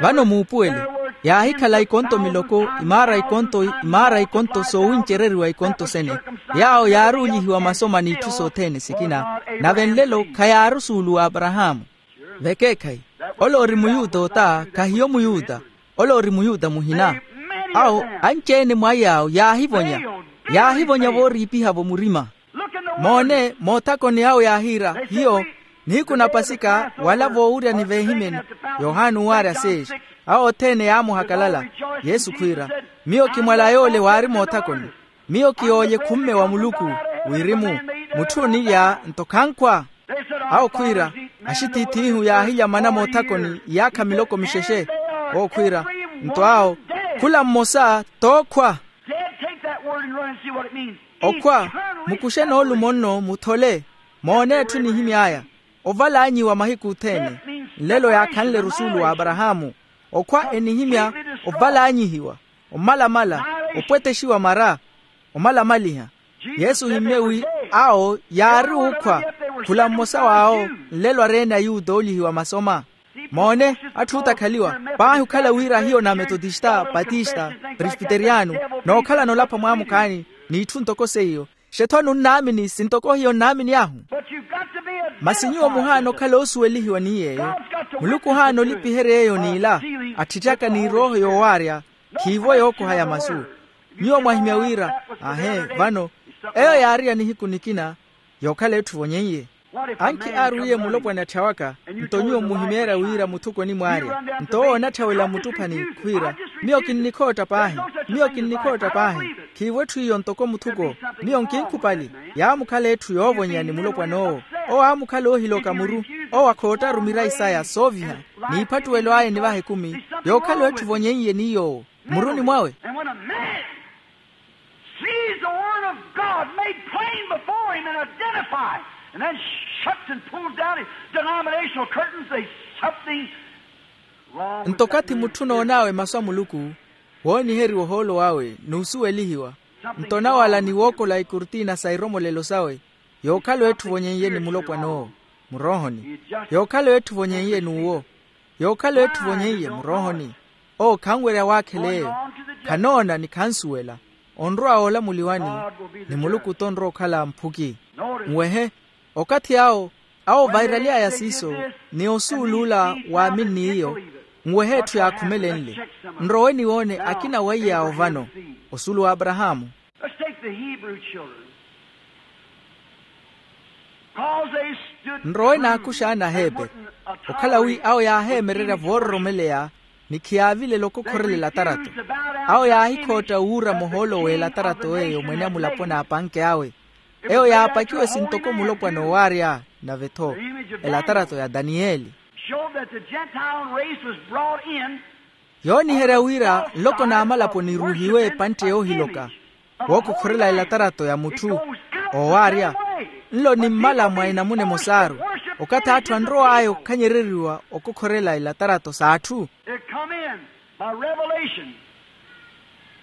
Vano muupuwele yaahikhala ikonto miloko imaara ikonto imaara ikonto soowincereriwa ikonto sene. Yaawo yaaruulihiwa masoma n'itthu sothene sikina nave nlelo khayaari osuulu w'aparahaamu. Vekeekhayi ole ori muyuta ota khahiyo muyuta. Ole ori muyuta muhina. Awo anci-ene mwa yaawo yaahivonya yaahivonya vooriipiha-vo murima. Moone moothakoni awo yaahiira hiyo nihiku na pasika wala voowuryani veehimeni yohani owaarya seexi. Awo othene yaamuhakalala. Yesu khwiira, miyo kimwala yoole waari moothakoni. Miyo kiyoolye khumme wa muluku. Wirimu, mutthu onilya nto khankhwa. Awo khwiira, axitiith'ihu yaahilya mana moothakoni iyaakha miloko mixexe. Owo khwiira, nto awo, khula mmosa tookhwa. Okhwa, mukuxe noolumo nno muthole. Moone etthu enihimy'aya, oval'anyiwa mahiku othene. Nlelo yaakhanle-ru osuulu wa aparahaamu. Okhwa enihimya oval'anyihiwa, omalamala, opwetexiwa mara, omalamaliha. Yesu ohimmye wi awo yaari ookhwa, khula mmosa w'awo nlelo areene ayuda oolihiwa masoma. Moone, atthu ootakhaliwa, paahi okhala wira hiyo na metotista, patista, presbiteriano, nookhalana olapha mwaamukhaani, n'itthu ntoko seiyo. Xetho nunnaamini sintoko hiyo nnaamini ahu. Masi nyuwo muhaana okhala oosuwelihiwa ni yeeyo. Muluku ohaana olipiherya eyo n'ila, atthitthaka n'irooho yoowaarya, khiivo yookoha ya masu. Nyuwo mwahimya wira, ahe, vano, eyo yaari ya nihiku nikina, yookhala etthu evonyen'ye. Ankhi aarwiye mulopwana atthawaka, nto nyuwo mmuhimeerya wira muthuko onimwaarya. Nto owo onatthawela mmuttuphani khwiira, miyo kinnikhootta paahi. Miyo kinnikhootta paahi. Khiivo etthu iyo ntoko muthuko. Miyo nkinkhupali. Yaamukhala etthu yoovonyeya ni mulopwan'owo. Owo aamukhala oohiloka muru. Owo akhoottaru mirayi saya sooviha. N'iphattuwelo aya enivaha ekumi, yookhala etthu evonyen'ye ni yoowo muruni mwawe. Sees the Word of God made plain before him and identified, and then shuts and pulls down his denominational curtains. There's something wrong with nto that kathi man. Mutthu onoon'awe masu a muluku, wooniheriwa ohoolo wawe n'usuwelihiwa. Nto onawala ni wookola ikurtina sa iromolelo sawe, yookhala etthu evonyen'ye ni mulopwan'owo muroohoni. Yookhala etthu evonyen'ye n'uwo. Yookhala etthu evonyen'ye muroohoni. Owo khanwerya waakhela eyo. Khanoona ni khansuwela. Onrowa woolamuliwani, ni muluku t'onrowa okhala mphuki. Nwehe, okathi awo, awo vairaly'aya siiso, ni osuuluula waaminni iyo. Nwehe etthu yaakhumelenle. Nrowe niwoone akina weiya awo vano, osuulu wa aparahaamu. Let's take the Hebrew children. Nrowe naakuxa ana aheeperi, okhala wi awo yaaheemererya voororomeleya, ni khiyaavilela okokhorela elatarato. Awo yaahikhootta wuura mohoolo w'elatarato eyo mwene a mulapo n'apanke awe. Eyo yaapakiwe sintoko mulopwana oowaarya, nave-tho elatarato ya daniyeli. Showed that the Gentile race was brought in. Yooniherya wira nloko n'amalapo niruuhiwe epantte yoohiloka, wookokhorela elatarato ya mutthu oowaarya. Nlo ni mmala mwa enamuna emosaaru, okathi atthu anrow'aya okhanyereriwa okokhorela elatarato s'atthu. It come in by revelation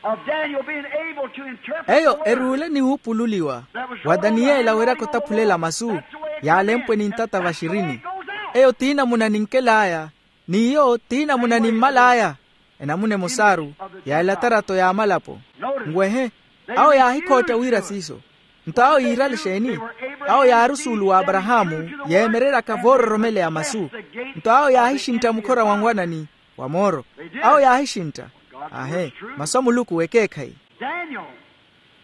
of Daniel being able to interpret the word. Eyo eruule ni wuupululiwa wa daniyela weeraka otaphulela masu yaalempwe ni ntata vaxirini. Eyo t'inamuna ninkel'aya, n'iyo t'inamuna nimmal'aya. Enamuna emosaaru ya elatarato y'amalapo. Nwehe, awo yaahikhootta wira siiso. Nto awo yiirale exeeni? Awo yaari osuulu wa aparahaamu, yeemereryaka voororomeleya masu. Nto awo yaahixintta mukhora wa nwanani wa mooro. Awo yaahixintta. Ahe, masu a muluku ekeekhayi. Daniel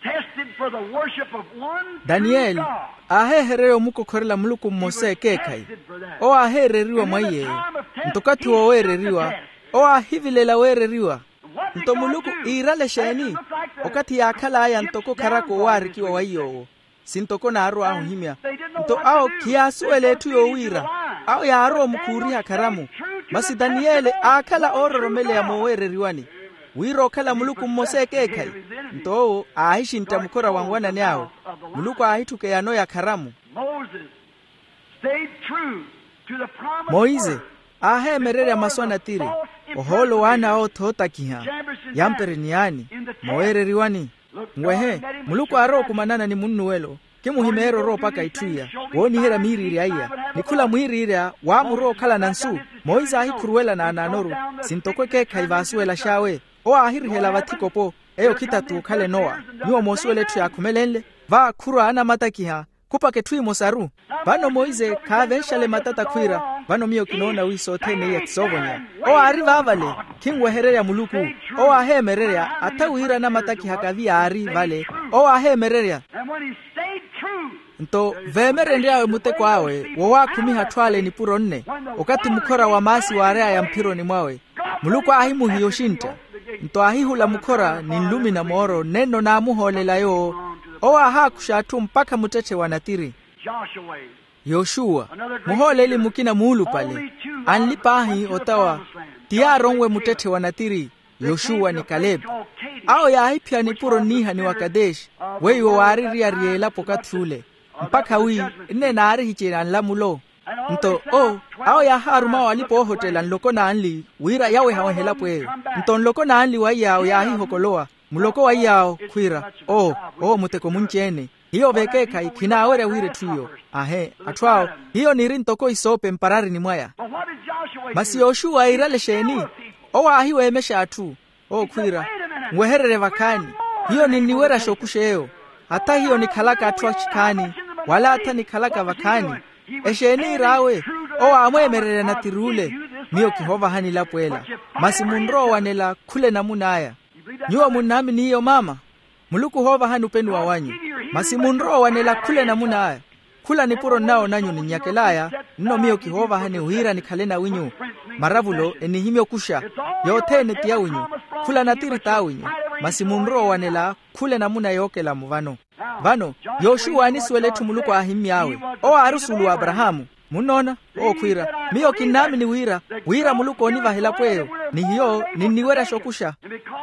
tested for the worship of one true God. Daniyeli aaheehererya omukokhorela muluku mmosa ekeekhayi. Owo aaheereriwa mwa iy'eyo. Nto okathi wooweereriwa, owo aahivilela weereriwa. Nto muluku iirale exeeni? Okathi yaakhal'aya ntoko kharaka owaarikiwa wa iy'owo, sintoko naarow'ahu ohimya. Nto awo khiyaasuwela etthu yoowiira. Awo yaarowa omukhuuriha kharamu. Masi daniyeli aakhala oororomeleya mooweereriwani, wira okhala muluku mmosa ekeekhayi. Nto owo aahixintta mukhora wa nwanani awe. Muluku aahitthuka eyano ya kharamu. Moses stayed true to the promised word. Moise aaheemererya masu a natiri, ohoolo w'ana awe othootakiha, yampere ni yaani, mooweereriwani. Nwehe, muluku aarowa okumanana ni munnuwelo. Kimuhimeerya orowa opaka itthu iya, wooniherya miiriirya iya. Ni khula mwiiriirya waamurowa okhalana nsu. Moise aahikhuruwela naanaanoru, sintoko ekeekhayi vaasuwelax'awe. Owo aahirihela vathi kopo. Eyo khitatu okhala enowa. Nyuwo moosuwela etthu yaakhumelenle. Vaakhurwa anamatakiha, khupaka etthu emosaru. Vano moise khaavenxale matata khwiira, vano miyo kinoona wi sothene iya kisoovonyeya. Owo aari vaavale, khinwehererya muluku. Owo aaheemererya atha wira anamatakiha kavi yaari vale. Owo aaheemererya. Nto veemerenry'awe muteko awe wowaakhumiha atthu ale nipuro nne, okathi mukhora wa maasi waary'aya mphironi mwawe. Muluku aahimuhiya oxintta. Nto aahihula mukhora ni nlumi na mooro nenno naamuhoolela yoowo. Owo aahaakuxa atthu mpakha muttetthe wa natiri. Yoxuwa, muhooleli mukina muulupale, anli paahi otawa, ti yaaronwe muttetthe wa natiri, yoxuwa ni kalepe. Awo yaahiphiya nipuro nniihani wa kadeshi, weiwo waaririya elapo okathi ule, mpakha wi nne naarihicela nlamulo. Nto o, awo yaahaaruma awo alipa oohottela nloko n'anli wira yawehawehe elapo eyo. Nto nloko n'anli wa iyaawo yaahihokolowa, muloko wa iyaawo khwiira, o, owo muteko munci-ene. Hiyo vekeekhayi khinaawerya wira etthu iyo. Ahe, atthu awo, hiyo niiri ntoko isoope mpararini mwaya. Masi yoxuwa iirale exeeni? Owo aahiweemexa atthu, owo khwiira, nwehererye vakhaani. Hiyo ninniweryaxa okuxa eyo. Hata hiyo nikhalaka atthu axikhaani, wala hata nikhalaka vakhaani. Exeeni iir'awe? Owo aamweemererya natiri ule, miyo kihoovahani elapo ela. Masi munrowa owanela khula enamuna aya. Nyuwo munnaamini iyo maama? Muluku ohoovahani openuwa wanyu. Masi munrowa owanela khula enamuna aya. Khula nipuro nnawo nanyu ninnyakel'aya, nno miyo kihoovahani wira nikhale nawinyu. Maravulo enihimya okuxa. Yothene ti yawinyu. Khula natiri t'awinyu. Masi munrowa owanela khula enamuna yookelamo vano. Vano, yoxuwa aanisuwela etthu muluku aahimmy'awe. Owo aari osuulu w'aparahaamu. Munnoona? Owo khwiira, miyo kinnaamini wira, wira muluku oonivaha elapo eyo, ni hiyo ninniweryaxa okuxa.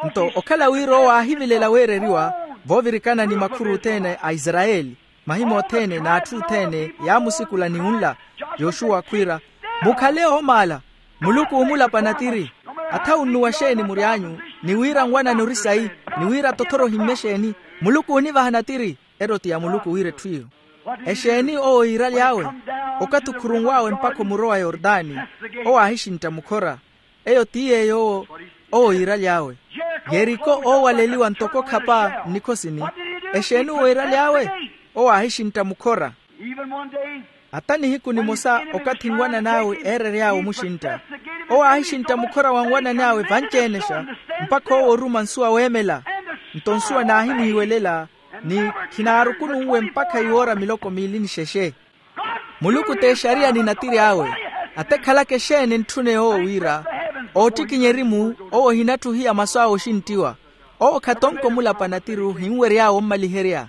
Nto okhala wira owo aahivilela weereriwa, voovirikana ni makhuru othene a isarayeli, mahimya othene n'atthu othene yaamusikula ni wunla. Yoxuwa khwiira, mukhale oomaala. Muluku oomulapa natiri. Atha wunnuwa xeeni mury'anyu, ni wira nwanani ori sayi, ni wira tothoro ohimmye xeeni, muluku oonivaha natiri. Ero ti ya muluku wira etthu iyo. Exeeni owo iiraly'awe? Okathi okhurunw'awe mpakha omurowa yortani, owo aahixintta mukhora. Eyo ti yeeyo owo, owo iiraly'awe. Yeriko oowaleliwa ntoko khapa nnikhosini. Exeeni owo iiraly'awe? Owo aahixintta mukhora. Ata nihiku nimosa okathi nwanani awe eerery'awe omuxintta, owo aahixintta mukhora wa nwanani awe vanci-enexa, mpakha owo oruma nsuwa weemela. Nto nsuwa naahimuhiwelela, ni khinaarukununwe mpakha iwoora miloko miili ni xexe. Muluku t'exariya ni natiri awe. Atekhalaka exeeni entthune owo wira, oottikinya erimu, owo ohinatthuhiya masu awe oxinttiwa. Owo khatonko omulapa natiri ohinwery'awe ommaliherya.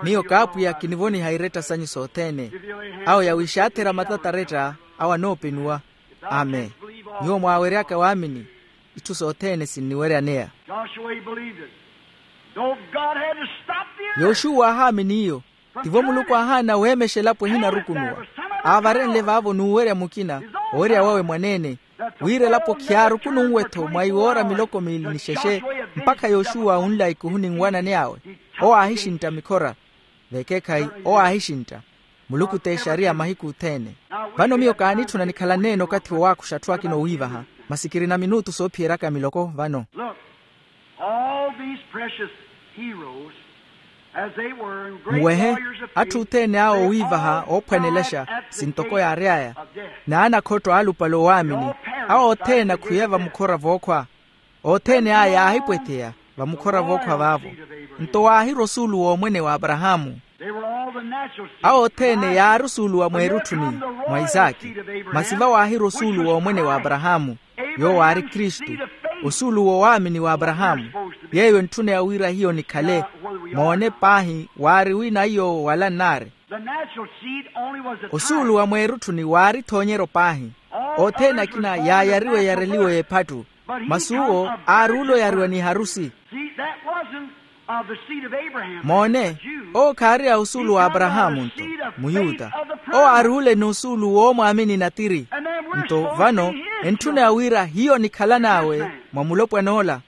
Miyo kaapwiya kinivoniha iretta sanyu sothene. Awo yawixaathera matataretta, awo anoopenuwa. Amen. Nyuwo mwaaweryaka waamini, itthu sothene sinniweryaneya. Joshua, he believed it. Though God had to stop the earth. Yoxuwa aahaamini iyo. Tivo muluku aahaana weemexa elapo ehinarukunuwa. Aavarenle vaavo n'uwerya mukina, owerya wawe mwaneene, wira elapo khiyaarukununwe-tho mwa iwoora miloko miili ni xexe. Mpakha yoxuwa unla ikuhuni nwanani awe. Owo aahixintta mikhora. Vekeekhayi, owo aahixintta. Muluku t'exariya mahiku othene. Vano miyo kaanitthuna nikhalanneene okathi wowaakuxa atthu akina owiivaha. Masi kirina minutu soophiyeryaka miloko vano. Look, all these precious heroes, as they were, and great warriors of faith, nwehe, atthu othene awo owiivaha oophwanelexa, sintoko yaary'aya, n'anakhotto aalupale owaamini, awo othene akhuye vamukhora vookhwa. Othene aya yaahipwetheya vamukhora vookhwa vaavo. Nto waahirwa osuulu w'omwene w'aparahaamu. Awo othene yaari osuulu wa mweerutthuni mwa isaaki. Masi vawaahirwa osuulu w'omwene w'aparahaamu, yoowo aari kristu, osuulu w'owaamini w'aparahaamu. Yeeyo entthuna ya wira hiyo nikhale. Moone paahi waari wina iyo wala nnaari. Osuulu wa mweerutthuni waari ethoonyeryo paahi. Othene akina yaayariwa eyareliwa y'ephattu. Masi uwo aari ole oyariwa n'iharusi. Moone, owo khaari a osuulu w'aparahaamu nto, muyuta. Owo aari ole n'osuulu w'omwaamini natiri. Nto vano, entthuna ya wira hiyo nikhalan'awe mwa mulopwan'ola.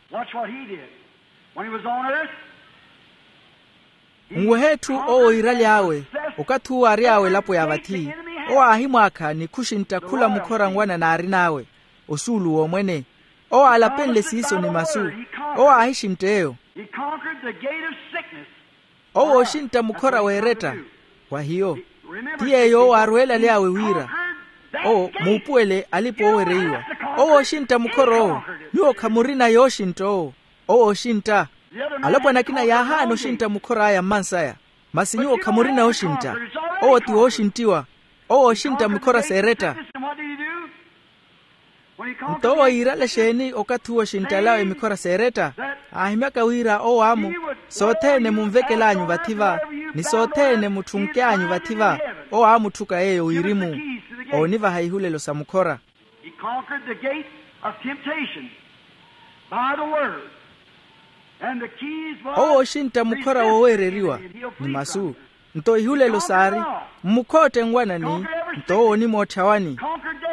Nwehe etthu owo iiraly'awe, okathi uwo ary'awe elapo ya vathi, owo aahimwaakha ni khuxintta khula mukhora nwanani aarin'awe, osuulu w'omwene. Owo aalapenle siiso ni masu. Owo aahixintta eyo. Owo ooxintta mukhora w'eretta. Wa hiyo, ti yeeyo owo aarweelaly'awe wira owo muupuwele alipa oowereiwa. Owo ooxintta mukhora owo. Nyuwo khamurina yooxintta owo. Owo ooxintta. Alopwana akina yaahaana oxintta mukhor'aya mmansaya. Masi nyuwo khamurina yooxintta. Owo ti wooxinttiwa. Owo ooxintta mukhora s'eretta. Nto owo yiirale exeeni okathi uwo oxinttalawe mikhora s'eretta? Aahimyaka wira owo amu sothene munvekel'anyu vathi va, ni sothene mutthunk'anyu vathi va, owo amutthuka yeeyo wirimu oonivaha ihulelo sa mukhora. He conquered the gate of temptation by the word. And the keys was owo oxintta mukhora wooweereriwa ni masu. Nto ihulelo saari mmukhootte nwanani. Nto owo onimootthawani.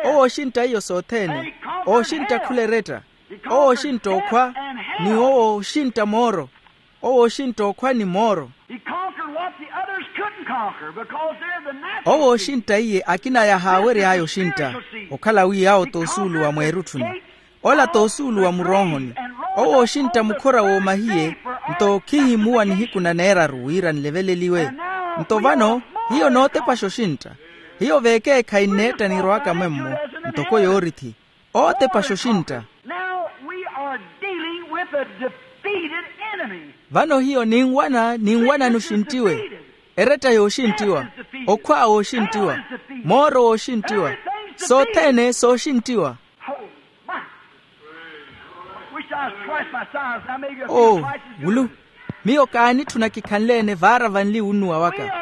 Owo oxintta iyo sothene. Owo oxintta khula eretta. Owo oxintta okhwa. Ni owo oxintta mooro. Owo oxintta okhwa ni mooro. He conquered what the others couldn't conquer because they're the natural. Owo oxintta iye akina yahaawery'aya oxintta. Okhala wi awo t'osuulu wa mweerutthuni. Ola t'osuulu wa muroohoni. Owo oxintta mukhora w'omahiye. Nto khihimuwa nihiku na neeraru wira nleveleliwe. Nto vano hiyo nootepaxa oxintta. Hiyo veekeekhayi nneetta nirowaka mwemmo ntoko yoorithi. Ootepaxa oxintta. Now we are dealing with a defeated enemy. Vano hiyo ninwana ninwana n'uxinttiwe. Eretta yooxinttiwa. Okhwa wooxinttiwa. Mooro wooxinttiwa. Sothene sooxinttiwa. Oh, my. Wish I was twice my size. Now maybe a few. Oh, twice as good. Wulu. Miyo kaanitthuna kikhanle-ene vaara vanli wunnuwa waka.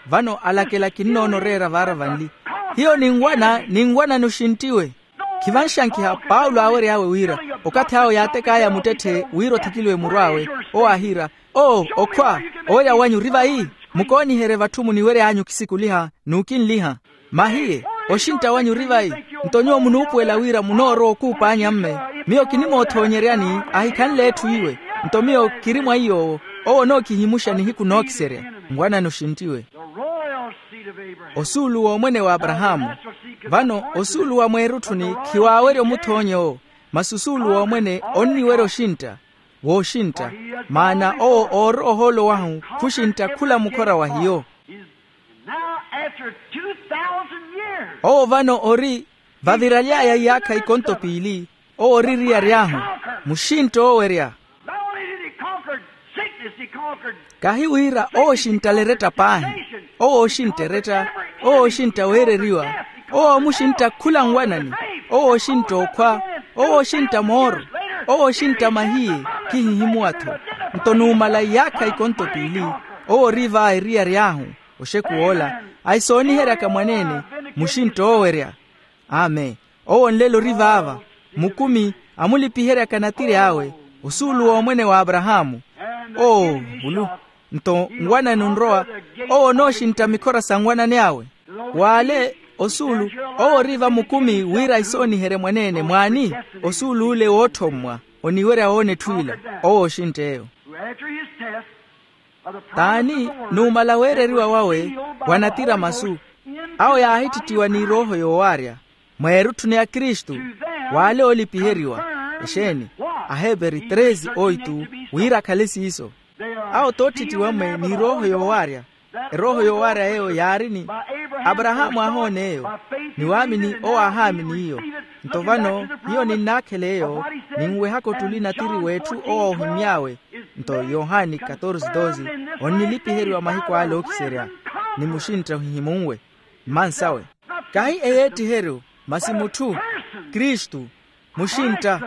Vano alakela kinnoona oreera vaara vanli. Hiyo ninwana ninwana n'uxinttiwe. Khivanxankiha paulo aawery'awe wira okathi awo yaatek'aya muttetthe wira othikiliwe muru awe. Owo aahiira, oo okhwa, owerya wanyu ori vayi? Mukooniherye vatthu muniwery'anyu khisikuliha n'ukinliha. Mahiye, oxintta wanyu ori vayi? Nto nyuwo munuupuwela wira munoorowa okuup'anyu amme. Miyo kinimoothoonyeryani ahikhanle etthu iwe. Nto miyo kiri mwa iy'owo. Owo onookihimuxa nihiku nookiserya. Nwanani oxinttiwe. Osuulu w'omwene w'aparahaamu. Vano osuulu wa mweerutthuni khiwaawerya omuthoonya owo. Masi osuulu w'omwene onniwerya oxintta. Wooxintta. Maana owo oorowa ohoolo wahu khuxintta khula mukhora wa hiyo. Owo vano ori vaviraly'aya iyaakha ikonto piili. Owo ori eriyari ahu muxintta oowerya. Kahi wira owo oxinttala eretta paahi. Owo oxintta eretta. Owo oxintta weereriwa. Owo omuxintta khula nwanani. Owo oxintta okhwa. Owo oxintta mooro. Owo oxintta mahiye. Khihihimuwa-tho. Nto numala iyaakha ikonto piili owo ori va eriyari ahu. Oxeku woola ahisooniheryaka mwaneene muxintta oowerya. Amen. Owo nlelo ori vaava mukumi amulipiheryaka natiri awe. Osuulu w'omwene w'aparahaamu. Oo, vulu. Nto nwanani onrowa. Owo onooxintta mikhora sa nwanani awe. W'ale osuulu owo ori va mukumi wira ahisooniherye mwaneene mwaani. Osuulu ole wootthommwa oniwerya woona etthu ila. Owo oxintta eyo. T'ani numala weereriwa wawe wa natira masu. Awo yaahittittiwa ni erooho yoowaarya mweerutthuni ya kristu. W'ale oolipiheriwa exeeni? Aheperi treze oitu. Wira akhale siiso. Awo t'otthittiwa-mwe ni erooho yoowaarya. Erooho yoowaarya eyo yaari ni aparahaamu aahoona eyo. Ni waamini owo aahaamini iyo. Nto vano hiyo ninnaakhela eyo. Ninwehaka ottuli natiri w'etthu owo oohimmy'awe. Nto yohani katorze doze onnilipiheriwa mahiku ale ookiserya ni muxintta ohihimunwe mmansawe. Kahi eyeettiheryo masi mutthu kristu muxintta.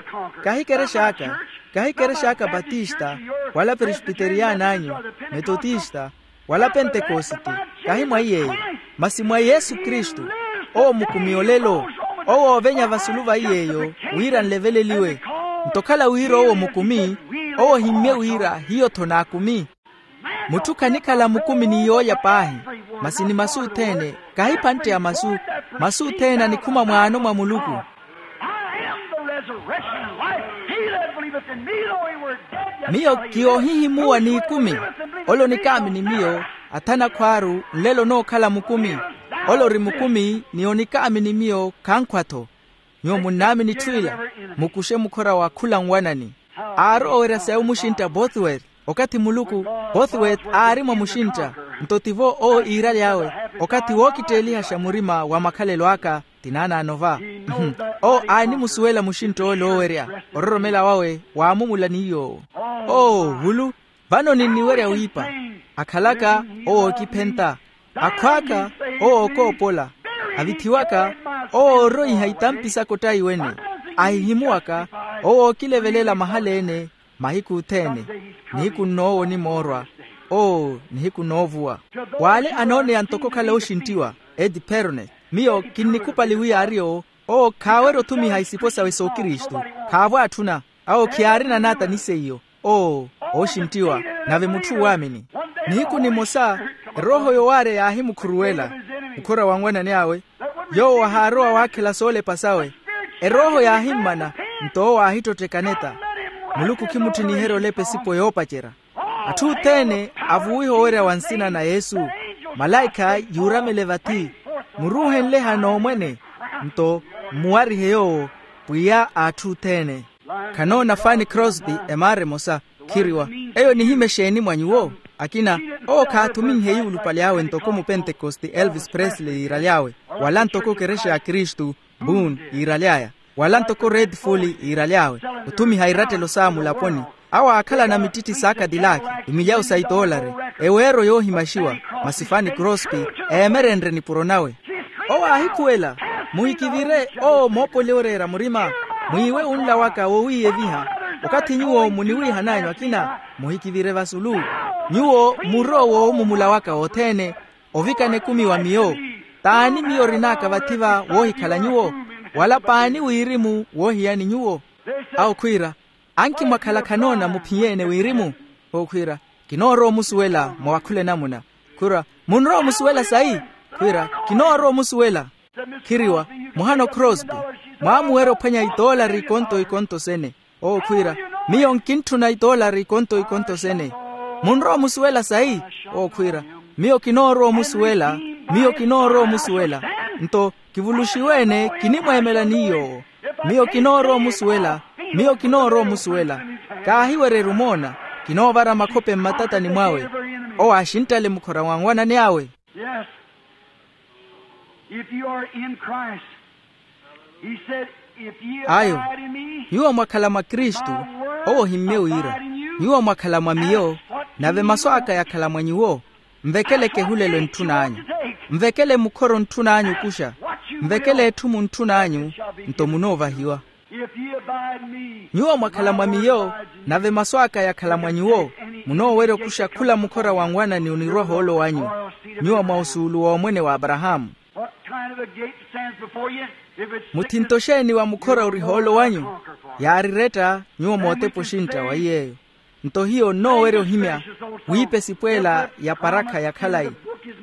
Kahi kerex'aka kahi kerex'aka batista wala presbiteriyani anyu metotista wala pentekosite kahi mwa iy'eyo masi mwa yesu kristu. Owo mukumi olelo owo oovenya vasulu va iy'eyo wira nleveleliwe. Nto okhala wira owo mukumi owo ohimmye wira hiyo-tho naakumi. Mutthu khanikhala mukumi ni yoolya paahi masi ni masu othene kahi ephantte ya masu. Masu othene anikhuma mwaano mwa muluku. Miyo kiyoohihimuwa n'ikumi. Ole onikaamini miyo athana akhwaaru nlelo onookhala mukumi. Ole ori mukumi ni onikaamini miyo khankhwa-tho. Nyuwo munnaamini itthu ila mukuxe mukhora wa khula nwanani. Aari owerya sa ewo muxintta bothweth okathi muluku bothweth aari mwa muxintta. Nto tivo owo iiraly'awe okathi wookitteelihaxa murima wa makhalelo aka. Tinaanaano va owo aanimusuwela muxintta ole oowerya ororomela wawe waamumula ni yoowo. Oo vulu vano ninniwerya wiipa. Akhalaka owo ookiphenta akhw'aka owo ookoopola avithiwaka owo ooroiha itampi saka ottaiwene. Ahihimuwaka, owo ookilevelela mahala-ene mahiku othene. Nihiku nnoowo onimoorwa. Oo, nihiku noovuwa. W'ale anooneya ntoko okhala ooxinttiwa, edi perone. Miyo kinnikhupali wi aari owo. Owo khaawerya othumiha isipo sawe s'okristu. Khaavo atthuna. Awo khiyaarina naata ni seiyo. Oo, ooxinttiwa. Nave mutthu waamini. Nihiku nimosa, erooho yowaarya yaahimukhuruwela mukhora wa nwanani awe. Yoowo ahaarowa waakhela soolepa sawe. Erooho yaahimmana, nto owo aahittottheka neta. Muluku khimutthiniherya olepa esipo yoopacerya. Atthu othene avuwiha owerya wa nsina na yesu. Malaikha yuuramele vathi. Muruuhenle hano omwene. Nto mmuwarihe yoowo, pwiya a atthu othene. Khanoona fani crosby emaara emosa. Khiriwa, eyo nihime exeeni mwa nyuwo? Akina, owo khaathuminhe yuulupali awe ntoko mupentekoste elvis presley yiiraly'awe, wala ntoko kerexa ya kristu, boone yiiraly'aya, wala ntoko red fully yiiraly'awe. Othumiha irattelo saawe mulaponi. Awo aakhalana mittitti saakadilaki, emilyawu sa itoolari, eweero yoohimaxiwa. Masi fani crosby eemerenrye nipuro nawe. Owo aahikhuwela, muhikivire owo moopoli oreera murima. Mwiiwe unla waka wowiiyeviha. Okathi nyuwo muniwiihan'anyu akina, muhikivire vasulu. Nyuwo muro woowumumula waka wothene. Ovikana ekumi wa miyo. T'ani miyo orin'aka vathi-va woohikhala nyuwo? Wala p'ani wirimu woohiyani nyuwo? Awo khwiira, anki mwakhala khanoona muphiye-ene wirimu? Owo khwiira, kinoorowa omusuwela mwa wakhula enamuna. Khwiira, munrowa omusuwela sayi? Khwiira, kinoorowa omusuwela. Khiriwa, muhano crosby, mwaamuwerya ophwanya itoolari ikonto ikonto sene. Owo khwiira, miyo nkintthuna itoolari ikonto ikonto sene. Munrowa omusuwela sayi? Owo khwiira, miyo kinoorowa omusuwela. Miyo kinoorowa omusuwela. Nto kivuluxiwe-ene kinimweemela ni yoowo. Miyo kinoorowa omusuwela. Miyo kinoorowa omusuwela. Kaahiwererye omoona. Kinoovara makhope mmatatani mwawe. Owo aaxinttale mukhora wa nwanani awe. Yes. If you are in Christ, he said, if ye ayo abide in me, nyuwo mwakhala mwa kristu. Owo ohimmye wira, nyuwo mwakhala mwa miyo, nave masu aka yakhala mwa nyuwo. Nvekele kehulelo entthun'anyu. Nvekele mukhoro ntthun'anyu okuxa. Nvekele etthu muntthun'anyu, nto munoovahiwa. Nyuwo mwakhala mwa miyo, nave masu aka yakhala mwa nyuwo, munoowerya okuxa khula mukhora wa nwanani onirwa ohoolo wanyu. Nyuwo mwa osuulu w'omwene wa aparahaamu. Muthinto xeeni wa mukhora ori hoolo wanyu? Yaariretta nyuwo mootepa oxintta wa iy'eyo. Nto hiyo nnoowerya ohimya wiipa esipweela ya parakha ya khalayi.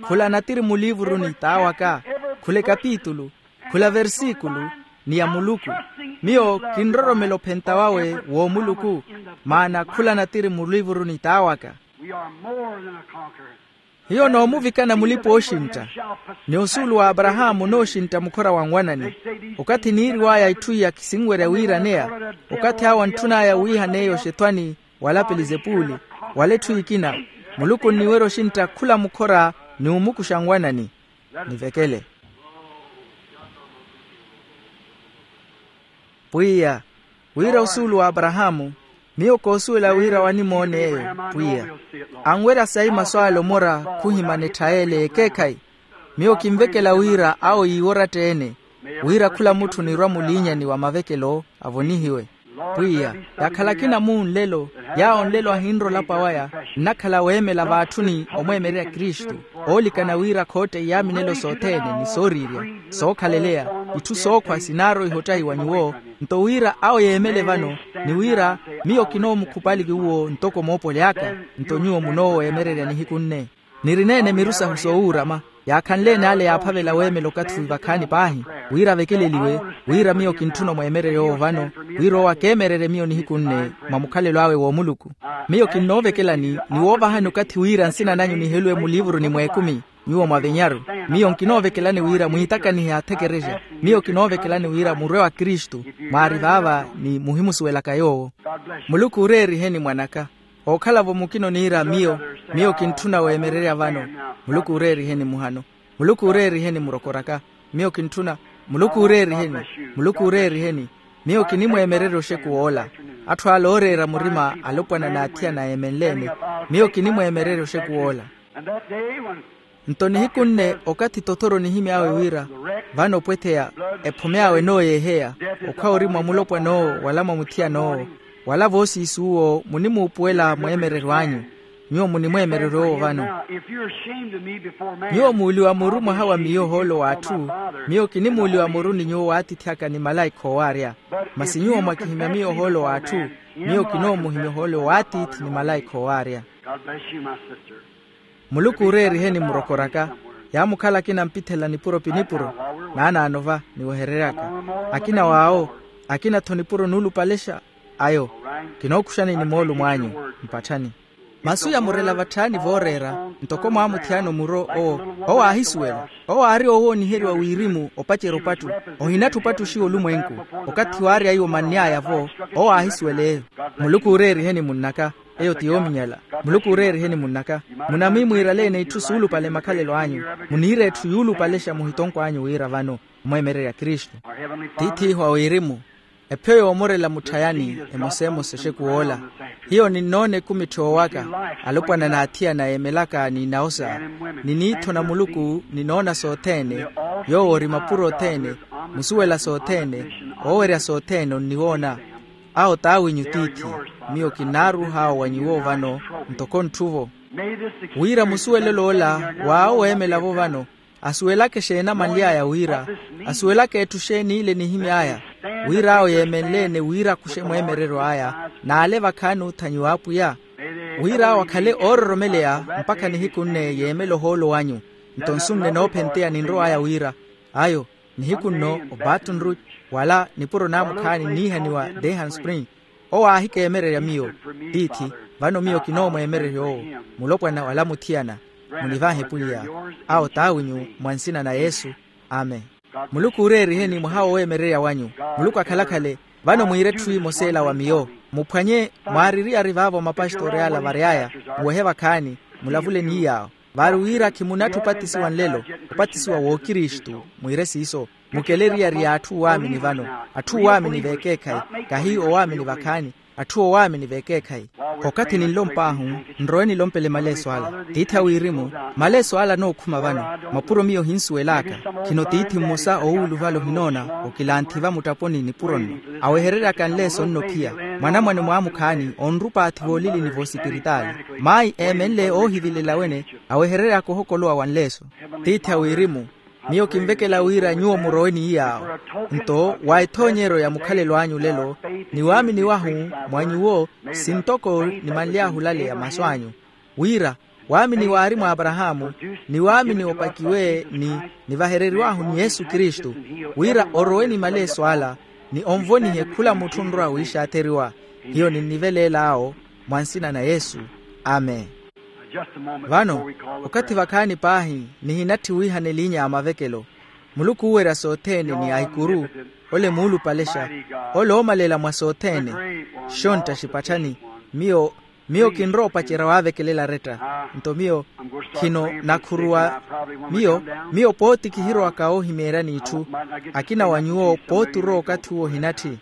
Khula natiri muliivuruni t'awaka, khula ekapitulu, khula versikulu, ni ya muluku. Miyo kinroromela ophenta wawe w'omuluku, maana khula natiri muliivuruni t'awaka. Hiyo noomuvikana mulipa ooxintta. Ni osuulu wa aparahaamu onooxintta mukhora wa nwanani. Okathi niiriw'aya itthu iya kisinwerya wiiraneya. Okathi awo antthun'aya wiihaneya oxethwani, wala pelizepuli, wala etthu ekina. Muluku onniwerya oxintta khula mukhora ni omukuxa nwanani. Nivekele. Pwiya, wira osuulu wa aparahaamu, miyo koosuwela wira wanimoona eyo. Pwiya, anwerya sayi masu ale omora khuhimana etthayele y'ekeekhayi. Miyo kinvekela wira awo yiiworatta-ene, wira khula mutthu onirwa muliinyani wa mavekelo avonihiwe. Pwiya, yakhala akina muu nlelo, yaawo nlelo ahinrola olapa waya, nnakhala weemela vaatthuni omweemererya kristu, oolikana wira khootta iyaaminelo sothene ni sooriirya, sookhaleleya, itthu sookhwa sinaaroiha ottahiwa nyuwo. Nto wira awo yeemele vano, ni wira miyo kinoomukhupali nyuwo ntoko moopoli aka, nto nyuwo munooweemererya nihiku nne. Nirineene miru sahu soowuurama, yaakhanleene ale yaaphavela weemela okathi wi vakhaani paahi, wira avekeleliwe, wira miyo kintthuna omweemererya owo vano, wira owo akeemererye miyo nihiku nne mwa mukhalelo awe w'omuluku. Miyo kinnoovekelani ni woovahani okathi wira nsina nanyu niheluwe muliivuruni mw'ekumi, nyuwo mwavenyaru. Miyo nkinoovekelani wira mwiitakanihe athekerexa. Miyo kinoovekelani wira murwe wa kristu, mwaari vaava ni muhimusuwelaka yoowo. Muluku ooreeriheni mwan'aka. Ookhala-vo mukina oniira miyo, miyo kintthuna weemererya vano. Muluku ooreeriheni muhano. Muluku ooreeriheni murokor'aka. Miyo kintthuna. Muluku ooreeriheni. Muluku ooreeriheni. Miyo kinimweemererya oxeku woola. Atthu ale ooreera murima alopwana n'athiyana eemenle-ene. Miyo kinimweemererya oxeku woola. Nto nihiku nne okathi tothoro nihimy'awe wira vano opwetheya, ephume awe enooyeeheya, okhwa ori mwa mulopwan'owo wala mwa muthiyan'owo, wala voosiisuwo munimuupuwela mweemereryo anyu. Nyuwo munimweemereryo owo vano. Nyuwo muuliwa muru mwaha wa miyo ohoolo w'atthu. Miyo kinimuuliwa muru ni nyuwo w'atiithi aka ni malaikha oowaarya. Masi nyuwo mwakihimya miyo ohoolo w'atthu. Miyo kinoomuhimya ohoolo w'atiithi ni malaikha oowaarya. Muluku ooreeriheni murokor'aka. Yaamukhala akina ampithela nipuro pi nipuro. Naanaano va niweherery'aka. Akina w'awo, akina-tho nipuro nuulupalexa. Ayo, kinookuxani ni moolumo anyu. Mpatthani. Masu yamurela vatthaani vooreera. Ntoko mwaamuthiyana omuro owo, owo aahisuwela. Owo aari owooniheriwa wirimu opacerya opattu. Ohinatthi opattuxiwa olumwenku. Okathi waarya iwo manny'aya-vo, owo aahisuwela eyo. Muluku ooreeriheni munn'aka. Eyo ti yoominyala. Muluku ooreeriheni munn'aka. Munamwimwiiraleene itthu suulupale makhalelo anyu. Muniire etthu yuulupalexa muhitonko anyu wira vano, omweemererya kristu. Tiith'ihu a wirimu, ephiyo yoomorela mutthayani emoseemose exekuw'ola. Hiyo ninnoona ekumitthi oowaka, alopwana n'athiyana yeemelaka ni nawosa, ni niitho na muluku ninoona sothene. Yoowo ori mapuro othene, musuwela sothene, oowerya sothene onniwoona. Awo t'awinyu tiithi. Miyo kinnaaruh'awo wa nyuwo vano, ntoko ntthu-vo. Wira musuwelelo ola w'awo weemela-vo vano, asuwelaka exeeni amanly'aya wira, asuwelaka etthu xeeni ile enihimy'aya, wira awo yeemenle-ene wira akuxe mweemereryo aya, n'ale vakhaani oothanyiwa apwiya. Wira awo akhale oororomeleya mpakha nihiku nne yeemela ohoolo wanyu. Nto nsu nne noophenteya ninrow'aya wira, ayo, nihiku nno o baton rouge, wala nipuro naamukhaani nniihaniwa dehan spring. Owo aahikeemererya miyo. Tiithi, vano miyo kinoomweemererya owo, mulopwana wala muthiyana. Munivahe pwiya. Awo t'awinyu, mwa nsina na yesu. Amen. Muluku ooreeriheni mwaha wooweemererya wanyu. Muluku akhalakhale. Vano mwiire etthu emosa ela wa miyo, muphwanye. Mwaari eriyari vaavo mapastori ala vary'aya, muwehe vakhaani, mulavule ni yaawo. Vaari wira khimunatthi opatisiwa nlelo, opatisiwa w'okristu. Mwiire siiso. Mukele eriyari y'atthu owaamini vano, atthu owaamini v'ekeekhayi, kahi owaamini vakhaani, atthu owaamini v'ekeekhayi. Okathi ninlomp'ahu, nrowe nilompele maleeso ala. Tiithi a wirimu, maleeso ala anookhuma vano, mapuro miyo ohinsuwel'aka. Khino tiithi mmosa owuuluvala ohinoona, okilanthi va muttaponi nipuro nno, aweherery'aka nleeso nno phiya. Mwanamwane mwaamukhaani onrupa athi voolilini voosipiritaali. Mayi eemenle oohivilela wene, aweherery'aka ohokolowa wa nleeso. Tiithi a wirimu, miyo kinvekela wira nyuwo murowe ni yaawo. Nto wa ethoonyeryo ya mukhalelo anyu lelo, ni waamini wahu mwa nyuwo, sintoko nimanly'ahu olaleya masu anyu, wira waamini waari mwa aparahaamu, ni waamini opakiwe ni nivahereriw'ahu ni yesu kristu, wira orowe ni maleeso ala, ni onvonihe khula mutthu onrowa wiixaatheriwa. Hiyo ninniveleel'awo, mwa nsina na yesu. Amen. Vano, okathi vakhaani paahi, nihinatthi wiihana eliinya ya mavekelo. Muluku oowerya sothene ni ahikuru, ole muulupalexa, ole oomalela mwa sothene. Xontta xipatthani. Miyo, miyo kinrowa opacerya waavekelela aretta. Nto miyo khino nakhuruwa. Miyo, miyo pooti kihirowaka oohimeeryani itthu. Akina wa nyuwo pooti orowa okathi uwo ohinatthi.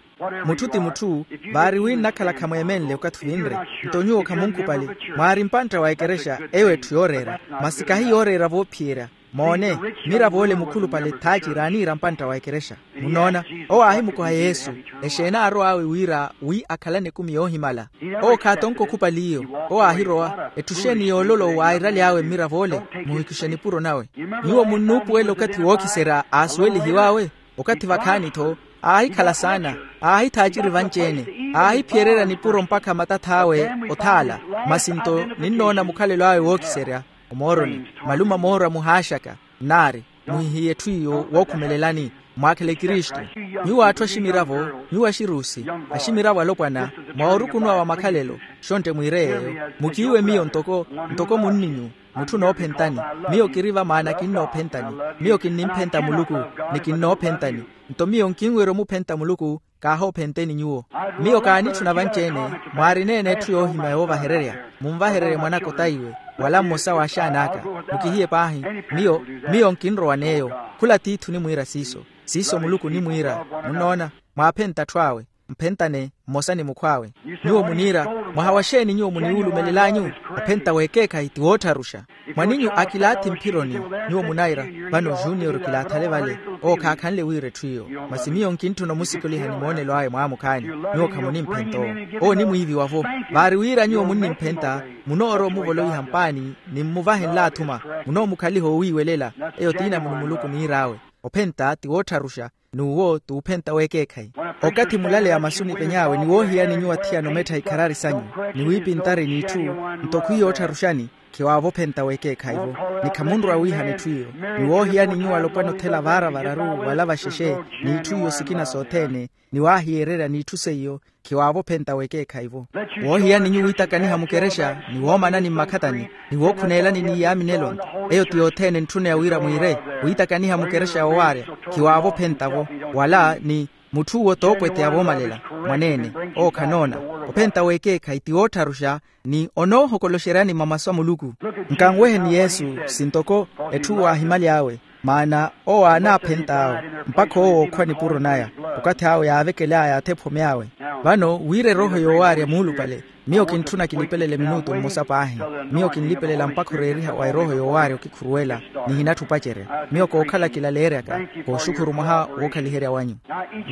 Mutthu ti mutthu, vaari wi nnakhala khamweemenle okathi vinre. Nto nyuwo khamunkhupali. Mwaari mpantta wa ekerexa, eyo etthu yooreera. Masi kahi yooreera voophiyerya. Moone, miravo ole mukhulupale thaaciri aaniira mpantta wa ekerexa. Munnoona, owo aahimukoha yesu, exeeni aarow'awe wira wi akhalane ekumi yoohimala. Owo khaatonka okhupali iyo. Owo aahirowa etthu xeeni yoololo waairaly'awe mmiravo ole. Muhikixe nipuro nawe. Nyuwo munnuupuwela okathi wookiserya aasuwelihiw'awe. Okathi vakhaani-tho, aahikhala saana, aahithaaciri vanci-ene, aahiphiyererya nipuro mpakha matath'awe othaala. Masi nto ninnoona mukhalelo awe wookiserya omooroni. Maluma moora muhaaxaka. Nnaari, muhihiye etthu iyo wookhumelelani. Mwaakhele kristu. Nyuwo atthu aximiravo, nyuwo axiruusi, aximiravo alopwana, mwa orukunuwa wa makhalelo. Xontte mwiire yeeyo. Mukiiwe miyo ntoko, ntoko munninyu, mutthu noophentani. Miyo kiri va maana kinnoophentani. Miyo kinnimphenta muluku, ni kinnoophentani. Nto miyo nkinwerya omuphenta muluku, kaahoophenteni nyuwo. Miyo kaanitthuna vanci-ene, mwaarina-ene etthu yoohimya yoovahererya. Munvahererye mwanaka otaiwe, wala mmosa w'axaan'aka. Mukihiye paahi. Miyo, miyo nkinrowan'eyo. Khula tiithi onimwiira siiso. Siiso muluku onimwiira. Munnoona, mwaaphenta atthu awe. mphentane mmosa ni mukhw'awe. Nyuwo muniira, mwaha wa xeeni nyuwo muniwulumelel'anyu? Ophenta w'ekeekhayi ti woottharuxa. Mwaninyu akilaathi mphironi, nyuwo munayira, vano junior kilaathale vale. Owo khaakhanle wira etthu iyo. Masi miyo nkintthuna omusikoliha ni moonelo awe mwaamukhaanyu. Nyuwo khamunimphenta owo. Owo onimwiiviwa-vo. Vaari wira nyuwo munnimphenta, munoorowa omuvolowiha mpaani, ni mmuvahe nlaathuma. Munoomukhaliha owiiwelela. Eyo t'inamuni muluku niir'awe. Ophenta ti woottharuxa, n'uwo t'uphenta w'ekeekhayi. Okathi mulaleya masu nipeny'awe ni woohiyani nyuwo athiyana omettha ikharari sanyu, ni wiipintari n'itthu, nto khwiya oottharuxani, khiwaavo ophenta w'ekeekhayi-vo. Ni khamunrwa wiihana etthu iyo. Ni woohiyani nyuwo alopwana othela vaara vararu wala vaxexe, n'itthu iyo sikina sothene, ni waahiyererya n'itthu seiyo, khiwaavo ophenta w'ekeekhayi-vo. Woohiyani nyuwo wiitakaniha mukerexa, ni woomanani mmakhatani, ni wookhuneelani ni yaaminelo-nto, eyo ti yothene entthuneya wira mwiire. Wiitakaniha mukerexa yoowaarya, khiwaavo ophenta-vo. Wala ni mutth'uwo t'okwete ya voomalela, mwaneene, owo khanoona. Ophenta w'ekeekhayi ti woottharuxa, ni onoohokoloxeryani mamasu a muluku. Nkanweheni yesu, sintoko etthu waahimaly'awe, maana owo aanaaphent'awe, mpakha owo ookhwa nipuro naya, okathi awe yaavekel'aya athephome awe. Vano wira erooho yoowaarya muulupale, miyo kintthuna kilipelele minutu mmosa paahi. Miyo kinlipelela mpakha oreeriha wa erooho yoowaarya okikhuruwela, ni hinatthi opacerya. Miyo kookhala kilaleeryaka, kooxukhuru mwaha wookhaliherya wanyu.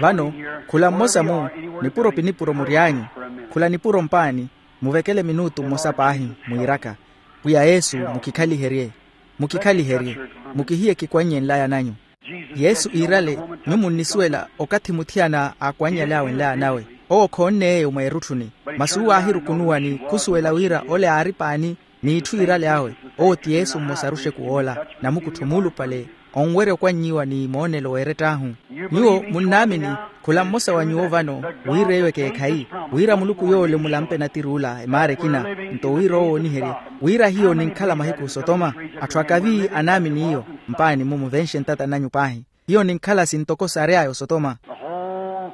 Vano, khula mmosa-mu, nipuro pi nipuro mury'anyu, khula nipuro mpaani, muvekele minutu mmosa paahi, mwiiraka, pwiya yesu, mukikhaliherye, mukikhaliherye, mukihiye kikwanny'e nlaya nanyu. Yesu iirale, nyuwo munnisuwela, okathi muthiyana aakwanny'ale awe nlaya nawe, owo khoonne eyo mweerutthuni. Masi uwo aahirukunuwa ni khusuwela wira ole aari paani, n'itthu iirale awe. Owo ti yesu mmosa aruxeku woola, namukuttho muulupale, onwerya okwannyiwa ni moonelo w'erett'ahu. Nyuwo munnaamini, khula mmosa wa nyuwo vano, wira eyo ekeekhayi, wira muluku yoole mulampe natiri ula emaara ekina, nto wira owo ooniherye, wira hiyo ninkhala mahiku sotoma. Atthu akavi anaamini iyo, mpaani-mu muvenxe ntata nanyu paahi. Hiyo ninkhala sintoko saary'aya osotoma. The whole,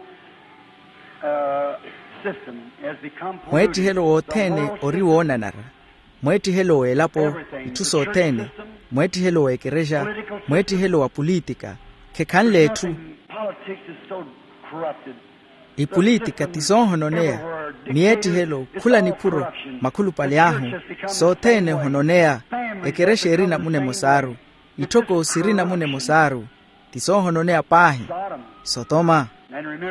uh, system has become polluted. Mweettihelo wothene ori woonanara. Mweettihelo w'elapo, itthu sothene, mweettihelo w'ekerexa, mweettihelo wa pulitika, khekhanle etthu. Politics is so corrupted. Ipulitika ti soohononeya, miyeettihelo, khula niphuro, makhulupale ahu, sothene ohononeya. Ekerexa eri namuna emosaaru, itthoko siri namuna emosaaru, ti soohononeya paahi. Sotoma.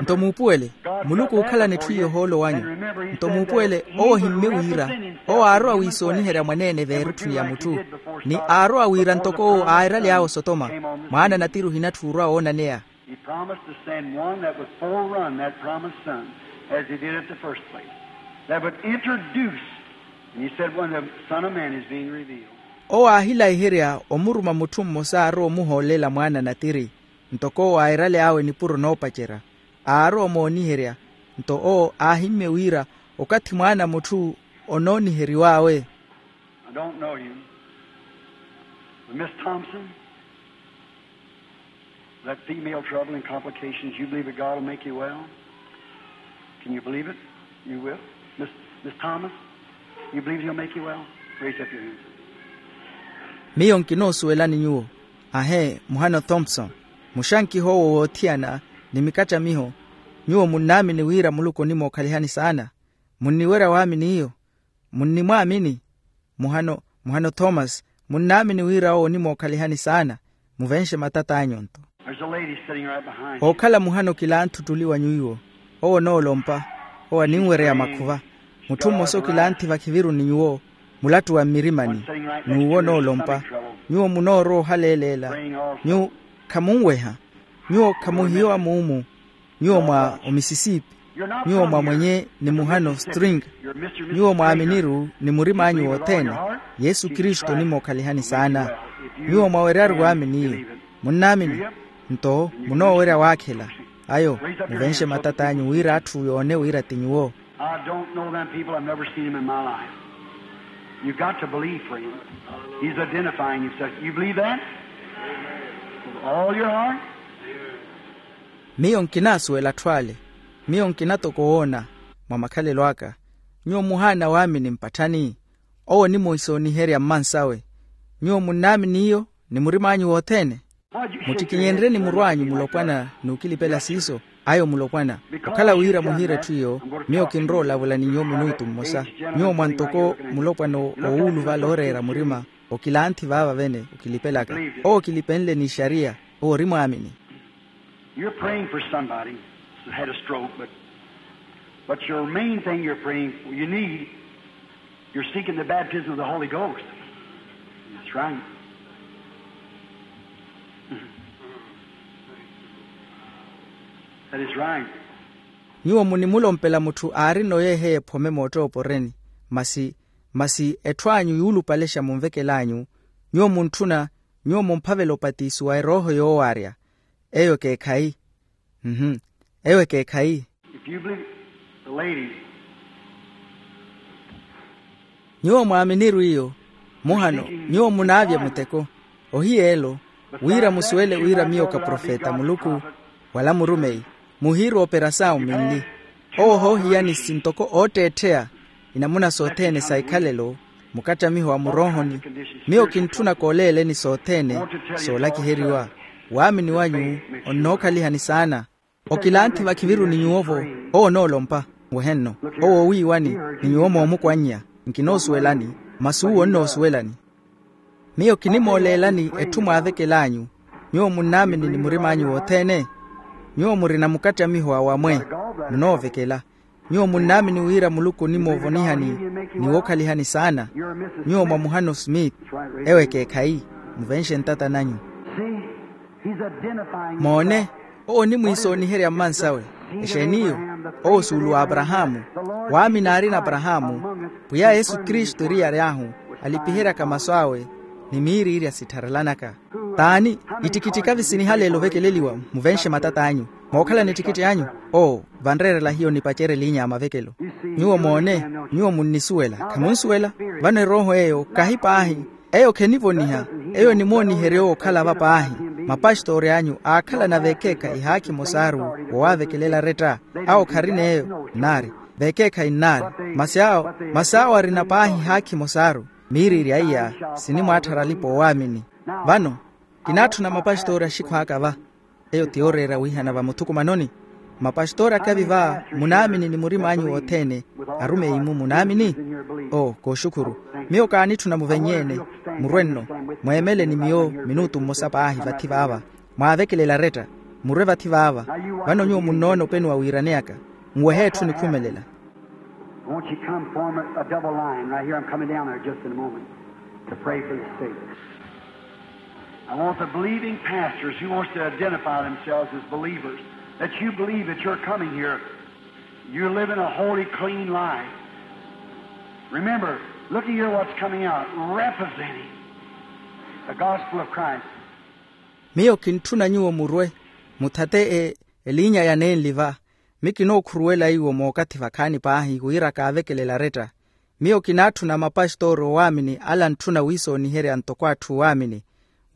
Nto muupuwele, muluku ookhalana etthu iyo ohoolo wanyu. Nto muupuwele, owo ohimmye wira, owo aarowa wiisooniherya mwaneene veerutthuni ya mutthu, ni aarowa wira ntoko owo aairaly'awe osotoma, mwaana natiri ohinatthi orowa woonaneya. He promised to send one that would forerun that promised son, as he did at the first place, that would introduce, and he said, when the Son of Man is being revealed. Owo aahilayiherya omuruma mutthu mmosa aarowa omuhoolela mwaana natiri, ntoko owo aairale awe nipuro noopacerya, aarowa omooniherya, nto owo aahimmye wira okathi mwaana mutthu onooniheriw'awe. I don't know you. But Miss Thompson, that female trouble and complications, you believe that God will make you well? Can you believe it? You will? Miss, Miss Thomas, you believe he'll make you well? Raise up your hands. Miyo nkinoosuwelani nyuwo. Ahe, muhano Thompson, muxankiha owo woothiyana ni mikattamiho, nyuwo munnaamini wira Muluku onimookhalihani saana? Munniwerya waamini iyo? Munnimwaamini? Muhano, muhano Thomas, munnaamini wira owo onimookhalihani saana? Muvenxe matat'anyu nto. There's a lady sitting right behind you. Ookhala muhano kilaanthuttuli wa nyuwo, owo onoolompa, owo aninwereya makhuva. Mutthu mmosa okilaanthi vakhiviru ni nyuwo, mulattuwa mmirimani, n'uwo onoolompa. Nyuwo munoorowa ohaleeleela, nyuwo khamunweha, nyuwo khamuhiyowa muumu. Nyuwo mwa omisisipi, nyuwo mwa mwenye ni muhano string, nyuwo mwaaminiru ni murim'anyu wothene. Yesu kristu onimookhalihani saana. Nyuwo mwaweryaru waamini iyo. Munnaamini? Nto munoowerya waakhela. Ayo, muvenxe matat'anyu wira atthu yoone wira ti nyuwo. I don't know them people. I've never seen them in my life. You've got to believe, friend. He's identifying himself. You believe that? With all your heart? Miyo nkinaasuwela atthu ale. Miyo nkina toko woona, mwa makhalelo aka. Nyuwo muhaana waamini mpatthani? Owo onimoisooniherya mmansawe. Nyuwo munnaamini iyo ni murim'anyu wothene? Muttikinyenrye ni murw'anyu mulopwana n'ukilipela siiso. Ayo mulopwana, okhala wira muhiire etthu iyo, miyo kinrowa olavula ni nyuwo minutu mmosa. Nyuwo mwa ntoko mulopwana owuuluvala ooreera murima, okilanthi vaava vene okilipelaka. Owo okilipenle n'ixariya. Owo ori mwaamini. You're praying for somebody that had a stroke, but, but your main thing you're praying for, you need, you're seeking the baptism of the Holy Ghost. That's right. That is right. Nyuwo munimulompela mutthu aarina oyeeheya ephome moottooporeni, masi, masi etthu anyu yuulupalexa munvekel'anyu, nyuwo muntthuna, nyuwo mumphavela opatiso wa erooho yoowarya. Eyo ekeekhayi. Mhm. Eyo ekeekhayi. If you believe, the lady. Nyuwo mwaaminiru iyo. Muhano, nyuwo munaavya muteko. Ohiyeelo, wira musuwele wira miyo ka profeta a muluku, wala murumeyi, muhiiru operasawu minli. Owo ohoohiyani sintoko ootteettheya inamuna sothene sa ikhalelo, mukattamiho wa muroohoni. Miyo kintthuna kooleeleni sothene soolakiheriwa. Waamini wanyu, onnookhalihani saana. Okilanthi vakhiviru ni nyuwo-vo. Owo onoolompa. Wehenno. Owo owiiwani, ni nyuwo moomukwannya. Nkinoosuwelani. Masi uwo onnoosuwelani. Miyo kinimooleelani etthu mwaavekel'anyu. Nyuwo munnaamini ni murim'anyu wothene. Nyuwo murina mukattamiho wa wamwe. Munoovekela. Nyuwo munnaamini wira muluku onimoovonihani, ni wookhalihani saana. Nyuwo mwamuhano smith. Ewo ekeekhayi. Muvenxe ntata nanyu. Moone. Owo onimwiisooniherya mmansawe. Exeeni iyo? Owo suulu wa aparahaamu. Waamini aarina aparahaamu. Pwiya yesu kristu eriyari ahu, alipiheryaka masu awe, ni miiriirya sittharellanaka. T'ani? Ittikittika visinihaleela ovekeleliwa. Muvenxe matat'anyu. Mookhalana ettikitthi anyu? Oo. Vanreerela hiyo nipacerye eliinya ya mavekelo. Nyuwo moone. Nyuwo munnisuwela, khamunsuwela? Vano erooho eyo kahi paahi. Eyo khenivoniha. Eyo enimooniherya owo okhala va paahi. Mapastori anyu aakhalana veekeekhayi haakhi mosaaru, wowaavekelela aretta. Awo kharina eyo nnaari. Veekeekhayi nnaari. Masi awo, masi awo arina paahi haakhi mosaaru. Miiriirya iya sinimwaatthara alipa oowaamini. Vano, kinaatthuna mapastori axikhu aka va. Eyo ti yooreera wiihana va muthukumanoni. Mapastori akavi va, munaamini ni murim'anyu wothene? Arumeyi-mu munaamini? Oo, kooxukhuru. Miyo kaanitthuna muvenny'ene. Murwe nno. Mweemele ni miyo minutu mmosa paahi vathi vaava. Mwaavekelela aretta. Murwe vathi vaava. Vano nyuwo munnoona openi wa wiiraneyaka. Nwehe etthu nikhumelela. Won't you come form a, a double line right here? I'm coming down there just in a moment to pray for the sick. I want the believing pastors who wants to identify themselves as believers, that you believe that you're coming here. You're living a holy, clean life. Remember, look at here what's coming out, representing the gospel of Christ. Miyo kintthuna nyuwo murwe, muthate e, eliinya ya nenli va. Mi kinookhuruwela iwo mookathi vakhaani paahi wira kaavekelela aretta. Miyo kinaatthuna mapastori oowaamini ala antthuna wiisooniherya ntoko atthu oowaamini,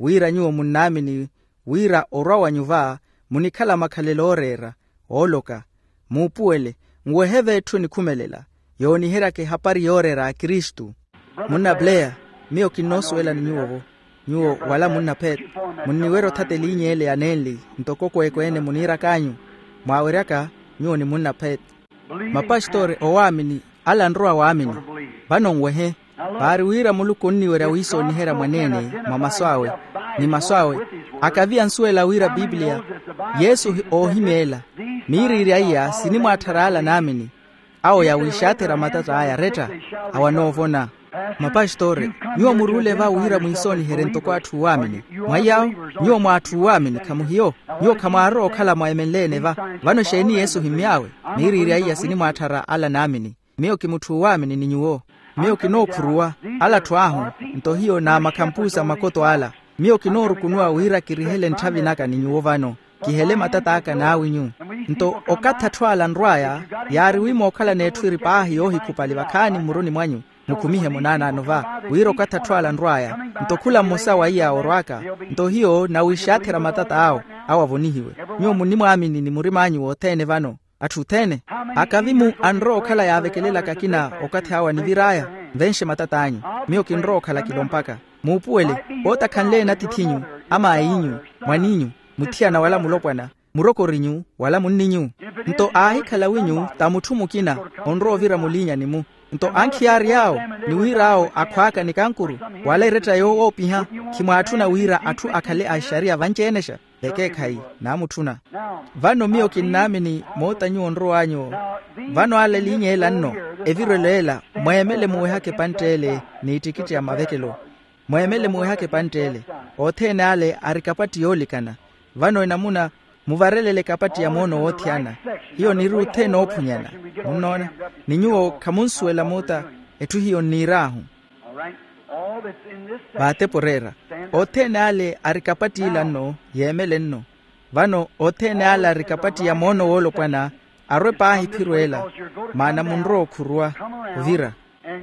wira nyuwo munnaamini wira orwa wanyu va, munikhala makhalelo ooreera, ooloka. Muupuwele, nwehe-ve etthu enikhumelela, yooniheryaka ehapari yooreera a kristu. Munna pleya, miyo kinnoosuwelani nyuwo-vo. Nyuwo wala munna pet. Munniwerya othata eliinya ele ya nenli ntoko kweekweene muniirak'anyu. Mwaaweryaka, nyuwo ni munna pet. Mapastori oowaamini, ala anrowa waamini. Vano nwehe. Vaari wira muluku onniwerya wiisooniherya mwaneene, mwa masu awe, ni masu awe. Akavi ansuwela wira pipiliya, yesu oohimeela. Miiriirya iya sinimwaatthara ala naamini. Awo yawiixathera matata aya aretta, awo anoovona. Mapastori, nyuwo muruule va wira mwiisooniherye ntoko atthu oowaamini. Mwa iy'awo, nyuwo mwa atthu oowaamini khamuhiyo. Nyuwo khamwaarowa okhala mwa emenle-ene va. Vano exeeni yesu ohimmy'awe? Miiriirya iya sinimwaatthara ala naamini. Miyo ki mutthu oowaamini ni nyuwo. Miyo kinookhuruwa ala atthu ahu. Nto hiyo n'amakhampuusa makoto ala. Miyo kinoorukunuwa wira kirihele ntthavi naka ni nyuwo vano. Kihele matat'aka n'awinyu. Nto okathi atthu ala anrw'aya, yaari wi mookhalana etthu eri paahi yoohikhupali vakhaani mmuruni mwanyu, mukhumihe munaanaano va, wira okathi atthu ala anrw'aya, nto khula mmosa wa iya orw'aka. Nto hiyo nawiixathera matata awo, awo avonihiwe. Nyuwo munnimwaamini ni murim'anyu wothene vano. Atthu othene, akavi-mu anrowa okhala yaavekelelaka akina okathi awo anivir'aya? Nvenxe matat'anyu. Miyo kinrowa okhala kilompaka. Muupuwele, pootakhanle-ene atiith'inyu, amaayi-inyu, mwan'inyu, muthiyana wala mulopwana, murokorinyu wala munninyu. Nto aahikhala winyu ta mutthu mukina onrowa ovira muliinyani-mu. Nto ankhiyaari awo ni wira awo akhwaaka ni kankuru wala eretta yoowo oopiha, khimwaatthuna wira atthu akhale a ixariya vanci-enexa? Vekeekhayi naamutthuna. Vano miyo kinnaamini moota nyuwo onrow'anyu-wo. Vano ale eliinya ela nno, evirelo ela, mweemele muwehaka epantt'ele n'ittikitti ya mavekelo. Mweemele muwehaka epantt'ele. Othene ale ari kapatti yoolikana. Vano enamuna muvarelele kapatti ya moono woothiyana. Hiyo niri othene oophunyana. Munnoona? Ni nyuwo khamunsuwela moota etthu hiyo nniir'ahu. Vaatepo oreera. Othene ale ari kapatti ila nno yeemele nno. Vano othene ale ari kapatti ya moono woolopwana, arwe paahi phiru ela, maana munrowa okhuruwa ovira.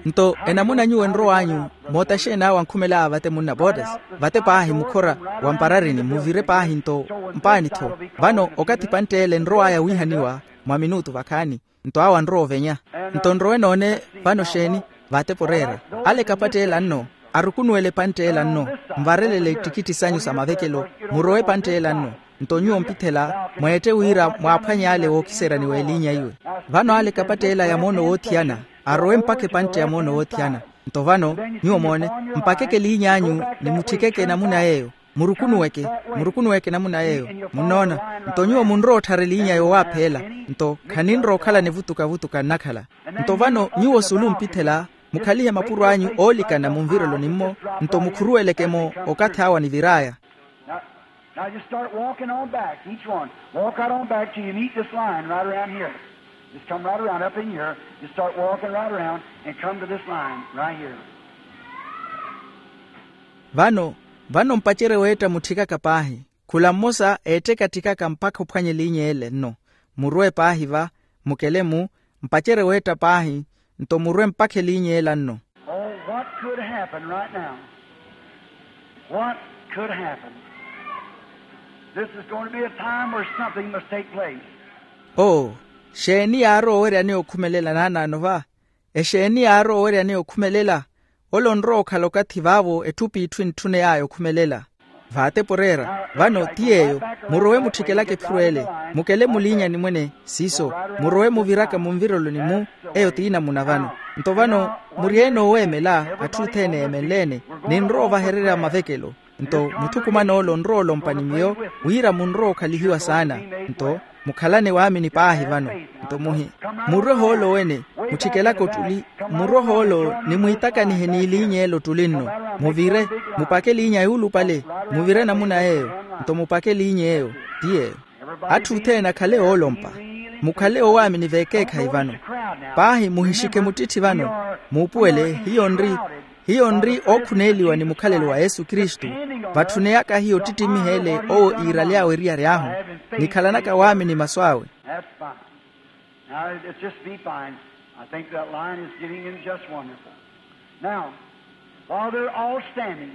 Nto enamuna nyuwo enrow'anyu, moota xeeni awo ankhumel'aya vate munna boottasi? Vate paahi mukhora wa mpararini muvire paahi nto mpaani-tho. Vano okathi epantt'ele enrow'aya wiihaniwa mwa minutu vakhaani. Nto awo anrowa ovenya. Nto nrowe noone vano xeeni? Vaatepo oreera. Ale kapatti ela nno, arukunuwele epantt'ela nno, nvarelele ittikitthi sanyu sa mavekelo, murowe epantt'ela nno. Nto nyuwo mpithela mweette wira mwaaphwanye ale wookiseryani w'eliinya iwe. Vano ale kapatti ela ya moono woothiyana, arowe mpakha epantthi ya moono woothiyana. Nto vano nyuwo moone, mpakeke eliiny'anyu ni mutthikeke enamuna yeeyo. Murukunuweke, murukunuweke enamuna yeeyo. Munnoona? Nto nyuwo munrowa otthara eliinya yoowaaph'ela. Nto khaninrowa okhala nivutukavutuka nnakhala. Nto vano nyuwo sulu mpithela, mukhalihe mapuro anyu oolikana munvireloni-mmo. Nto mukhuruweleke-mo okathi awo anivir'aya. Now, now just start walking on back, each one. Walk right on back till you meet this line right around here. Just come right around up in here. Just start walking right around and come to this line right here. Vano, vano mpacerye weetta mutthikaka paahi. Khula mmosa eettekattikaka mpakha ophwanya eliinya ele nno. Muruwe paahi va, mukele-mu, mpacerye weetta paahi, nto muruwe mpakha eliinya ela nno. Oh, what could happen right now? What could happen? This is going to be a time where something must take place. Oo, xeeni yaarowa oweryani okhumelela naanaano va? Exeeni yaarowa oweryani okhumelela? Ole onrowa okhala okathi vaavo etthu p'itthu entthuney'aya okhumelela. Vaatepo oreera. Vano ti yeeyo, murowe mutthikelaka ephiro ele, mukele muliinyani mwene. Siiso, murowe muviraka munvireloni-mu. Eyo t'inamuna vano. Nto vano, muri-ene ooweemela atthu othene eemenle-ene. Ninrowa ovahererya mavekelo. Nto muthukumana ole onrowa olompa ni miyo, wira munrowa okhalihiwa saana. Nto mukhalane waamini paahi vano. Nto muhi, murwe hoolo wene, mutthikelaka ottuli. Murwe hoolo ni mwiitakanihe n'eliinya ela ottuli nno. Muvire, mupake eliinya yuulupale. Muvire namuna yeeyo. Nto mupake eliinya eyo. Ti yeeyo. Atthu othene akhale oolompa. Mukhale oowaamini veekeekhayi vano. Paahi muhixike muttitthi vano. Muupuwele hiyo nri hiyo nri ookhuneeliwa ni mukhalelo wa yesu kristu. Vatthuneyaka hiyo ottittimiha ele owo iiraly'awe eriyari ahu. Nikhalanaka waamini masu awe. That's fine. Now, it's just be fine. I think that line is getting in just wonderful. Now, while they're all standing,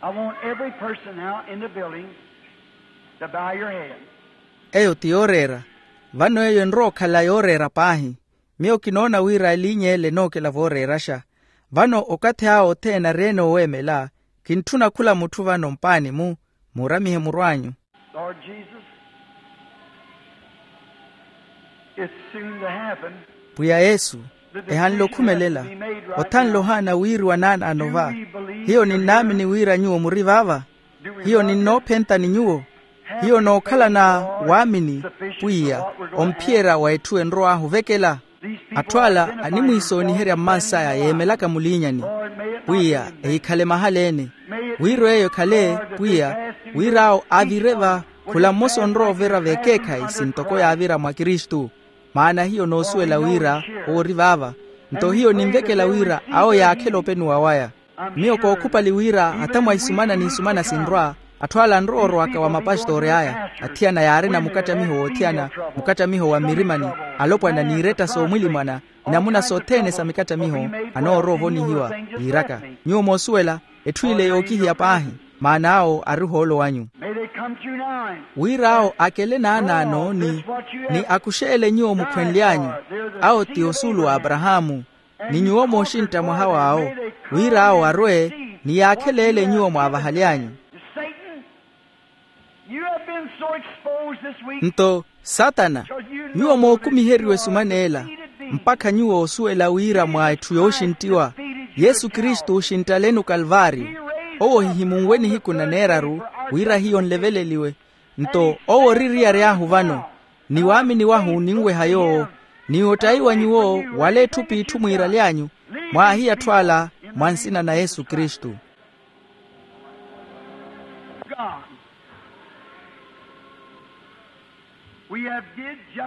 I want every person now in the building to bow your head. Eyo ti yooreera. Vano eyo enrowa okhala yooreera paahi. Miyo kinoona wira eliinya ele enookela vooreeraxa. Vano okathi awo othene ari-ene ooweemela, kintthuna khula mutthu vano mpaani-mu. Muuramihe murw'anyu. Lord Jesus, it's soon to happen. Pwiya yesu, ehanle okhumelela. Othanle ohaana wiiriwa naanaano va? Hiyo ninnaamini wira nyuwo muri vaava. Hiyo ninnoophenta ni nyuwo. Hiyo nookhalana waamini pwiya, omphiyerya wa etthu enrow'ahu ovekela. Atthu ala animwiisooniherya mmansaya yeemelaka muliinyani. Pwiya, ehikhale mahala-ene. Wira eyo ekhale pwiya, wira awo avire va. Khula mmosa onrowa ovira veekeekhayi sintoko yaavira mwa kristu. Maana hiyo noosuwela wira owo ori vaava. Nto hiyo ninvekela wira awo yaakhela openuwa waya. Miyo kookhupali wira hata mwa isumana n'isumana sinrwa, atthu ala anrowa orowaka wa mapastori aya athiyana yaarina mukatamiho woothiyana, mukatamiho wa mmirimani, alopwana n'iretta soomwilimwana, inamuna sothene sa mikattamiho anoorowa ovonihiwa. Yiiraka, nyuwo moosuwela, etthu ile yookihiya paahi. Maana awo ari ohoolo wanyu. Wira awo akele naanaano ni akuxeele nyuwo mukhwenly'anyu. Awo ti osuulu wa aparahaamu. Ni nyuwo mooxintta mwaha w'awo, wira awo arwe ni yaakheleele nyuwo mwaavahaly'anyu. You have been so exposed this week. Nto satana, nyuwo mookumiheriwe sumana ela, mpakha nyuwo osuwela wira mwa etthu yooxinttiwa, yesu kristu oxinttaleni okalvaariyo. Owo ohihimunwe nihiku na neeraru wira hiyo nleveleliwe. Nto owo ori eriyari ahu vano, ni waamini wahu ninweha yoowo, ni ottayiwa nyuwo wala etthu p'itthu mwiiraly'anyu, mwaahiya atthu ala, mwa nsina na yesu kristu.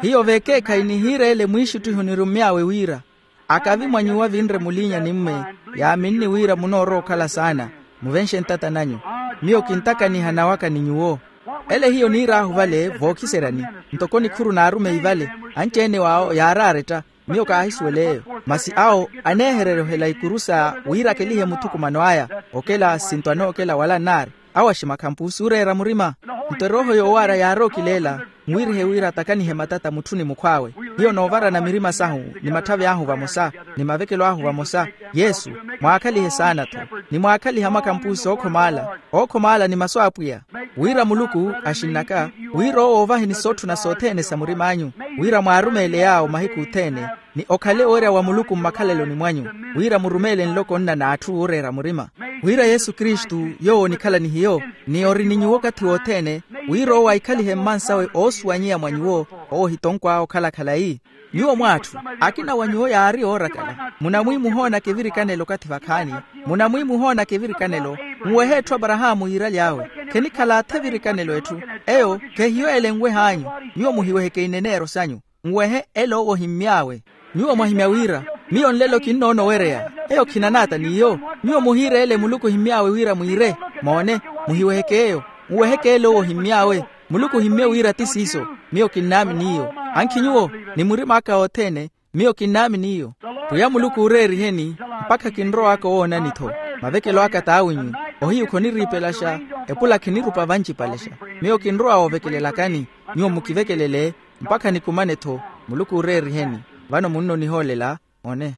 Hiyo vekeekhayi nihiireele mwiixuttiho nirumy'awe wira, akavi mwa nyuwo avinre muliinya ni mme, yaaminni wira munoorowa okhala saana, muvenxe ntata nanyu. Miyo kintakaniha nawaka ni nyuwo. Ele hiyo niir'ahu vale vookiseryani, ntoko nikhuru n'arumeyi vale, anci-ene w'awo yaaraaretta. Miyo kaahisuwela eyo, masi awo aneehererya ohela ikuru sa wiirakelihe muthukumano aya. Okela sinto anookela wala nnaari, awo aximakhampusi oreera murima. Nto erooho yoowaara yaarookileela, nwirihe wira atakanihe matata mutthu ni mukhw'awe. Hiyo noovarana mirima sahu, ni matthavi ahu vamosa, ni mavekelo ahu vamosa. Yesu, mwaakhalihe saana-tho, ni mwaakhalihe amakhampusi ookhomaala, ookhomaala ni masu a apwiya. Wira muluku, axinn'aka, wira owo oovaheni sootthuna sothene sa murim'anyu, wira mwaarumeele yaawo mahiku othene, ni okhale owerya wa muluku mmakhaleloni mwanyu, wira murumeele nloko nna n'atthu ooreera murima. Wira yesu kristu, yoowo onikhala ni hiyo, ni ori ni nyuwo okathi wothene, wira owo aikhalihe mmansawe oosuwanyeya mwa nyuwo. Owo ohitonkw'awe okhala khalayi. Nyuwo mw'atthu, akina wa nyuwo yaari oorakala, munamwiimuhoonaka evirikanelo okathi vakhaani. Munamwiimuhoonaka evirikanelo, nwehe etthu aparahaamu yiiraly'awe. Khenikhala atha evirikanelo etthu, eyo khehiyo ele enweh'anyu. Nyuwo muhiweheke ineneero sanyu, nwehe ele owo ohimmy'awe. Nyuwo mwahimya wira, miyo nlelo kinnoona owereya, eyo khinan'ata n'iyo. Nyuwo muhiireele muluku ohimmy'awe wira mwiire. Moone, muhiweheke eyo, nweheke ele owo ohimmy'awe. Muluku ohimmye wira ti siiso. Miyo kinnaamini iyo. Ankhi nyuwo, ni murim'aka othene, miyo kinnaamini iyo. Pwiya muluku ooreeriheni, mpakha kinrow'aka owoonani-tho. Mavekelo aka t'awinyu. Ohiyu khoniriipelaxa, epula khinirupa vancipalexa. Miyo kinrowa woovekelelakani, nyuwo mukivekelele, mpakha nikumane-tho. Muluku ooreeriheni. Vano munnonihoolela. One.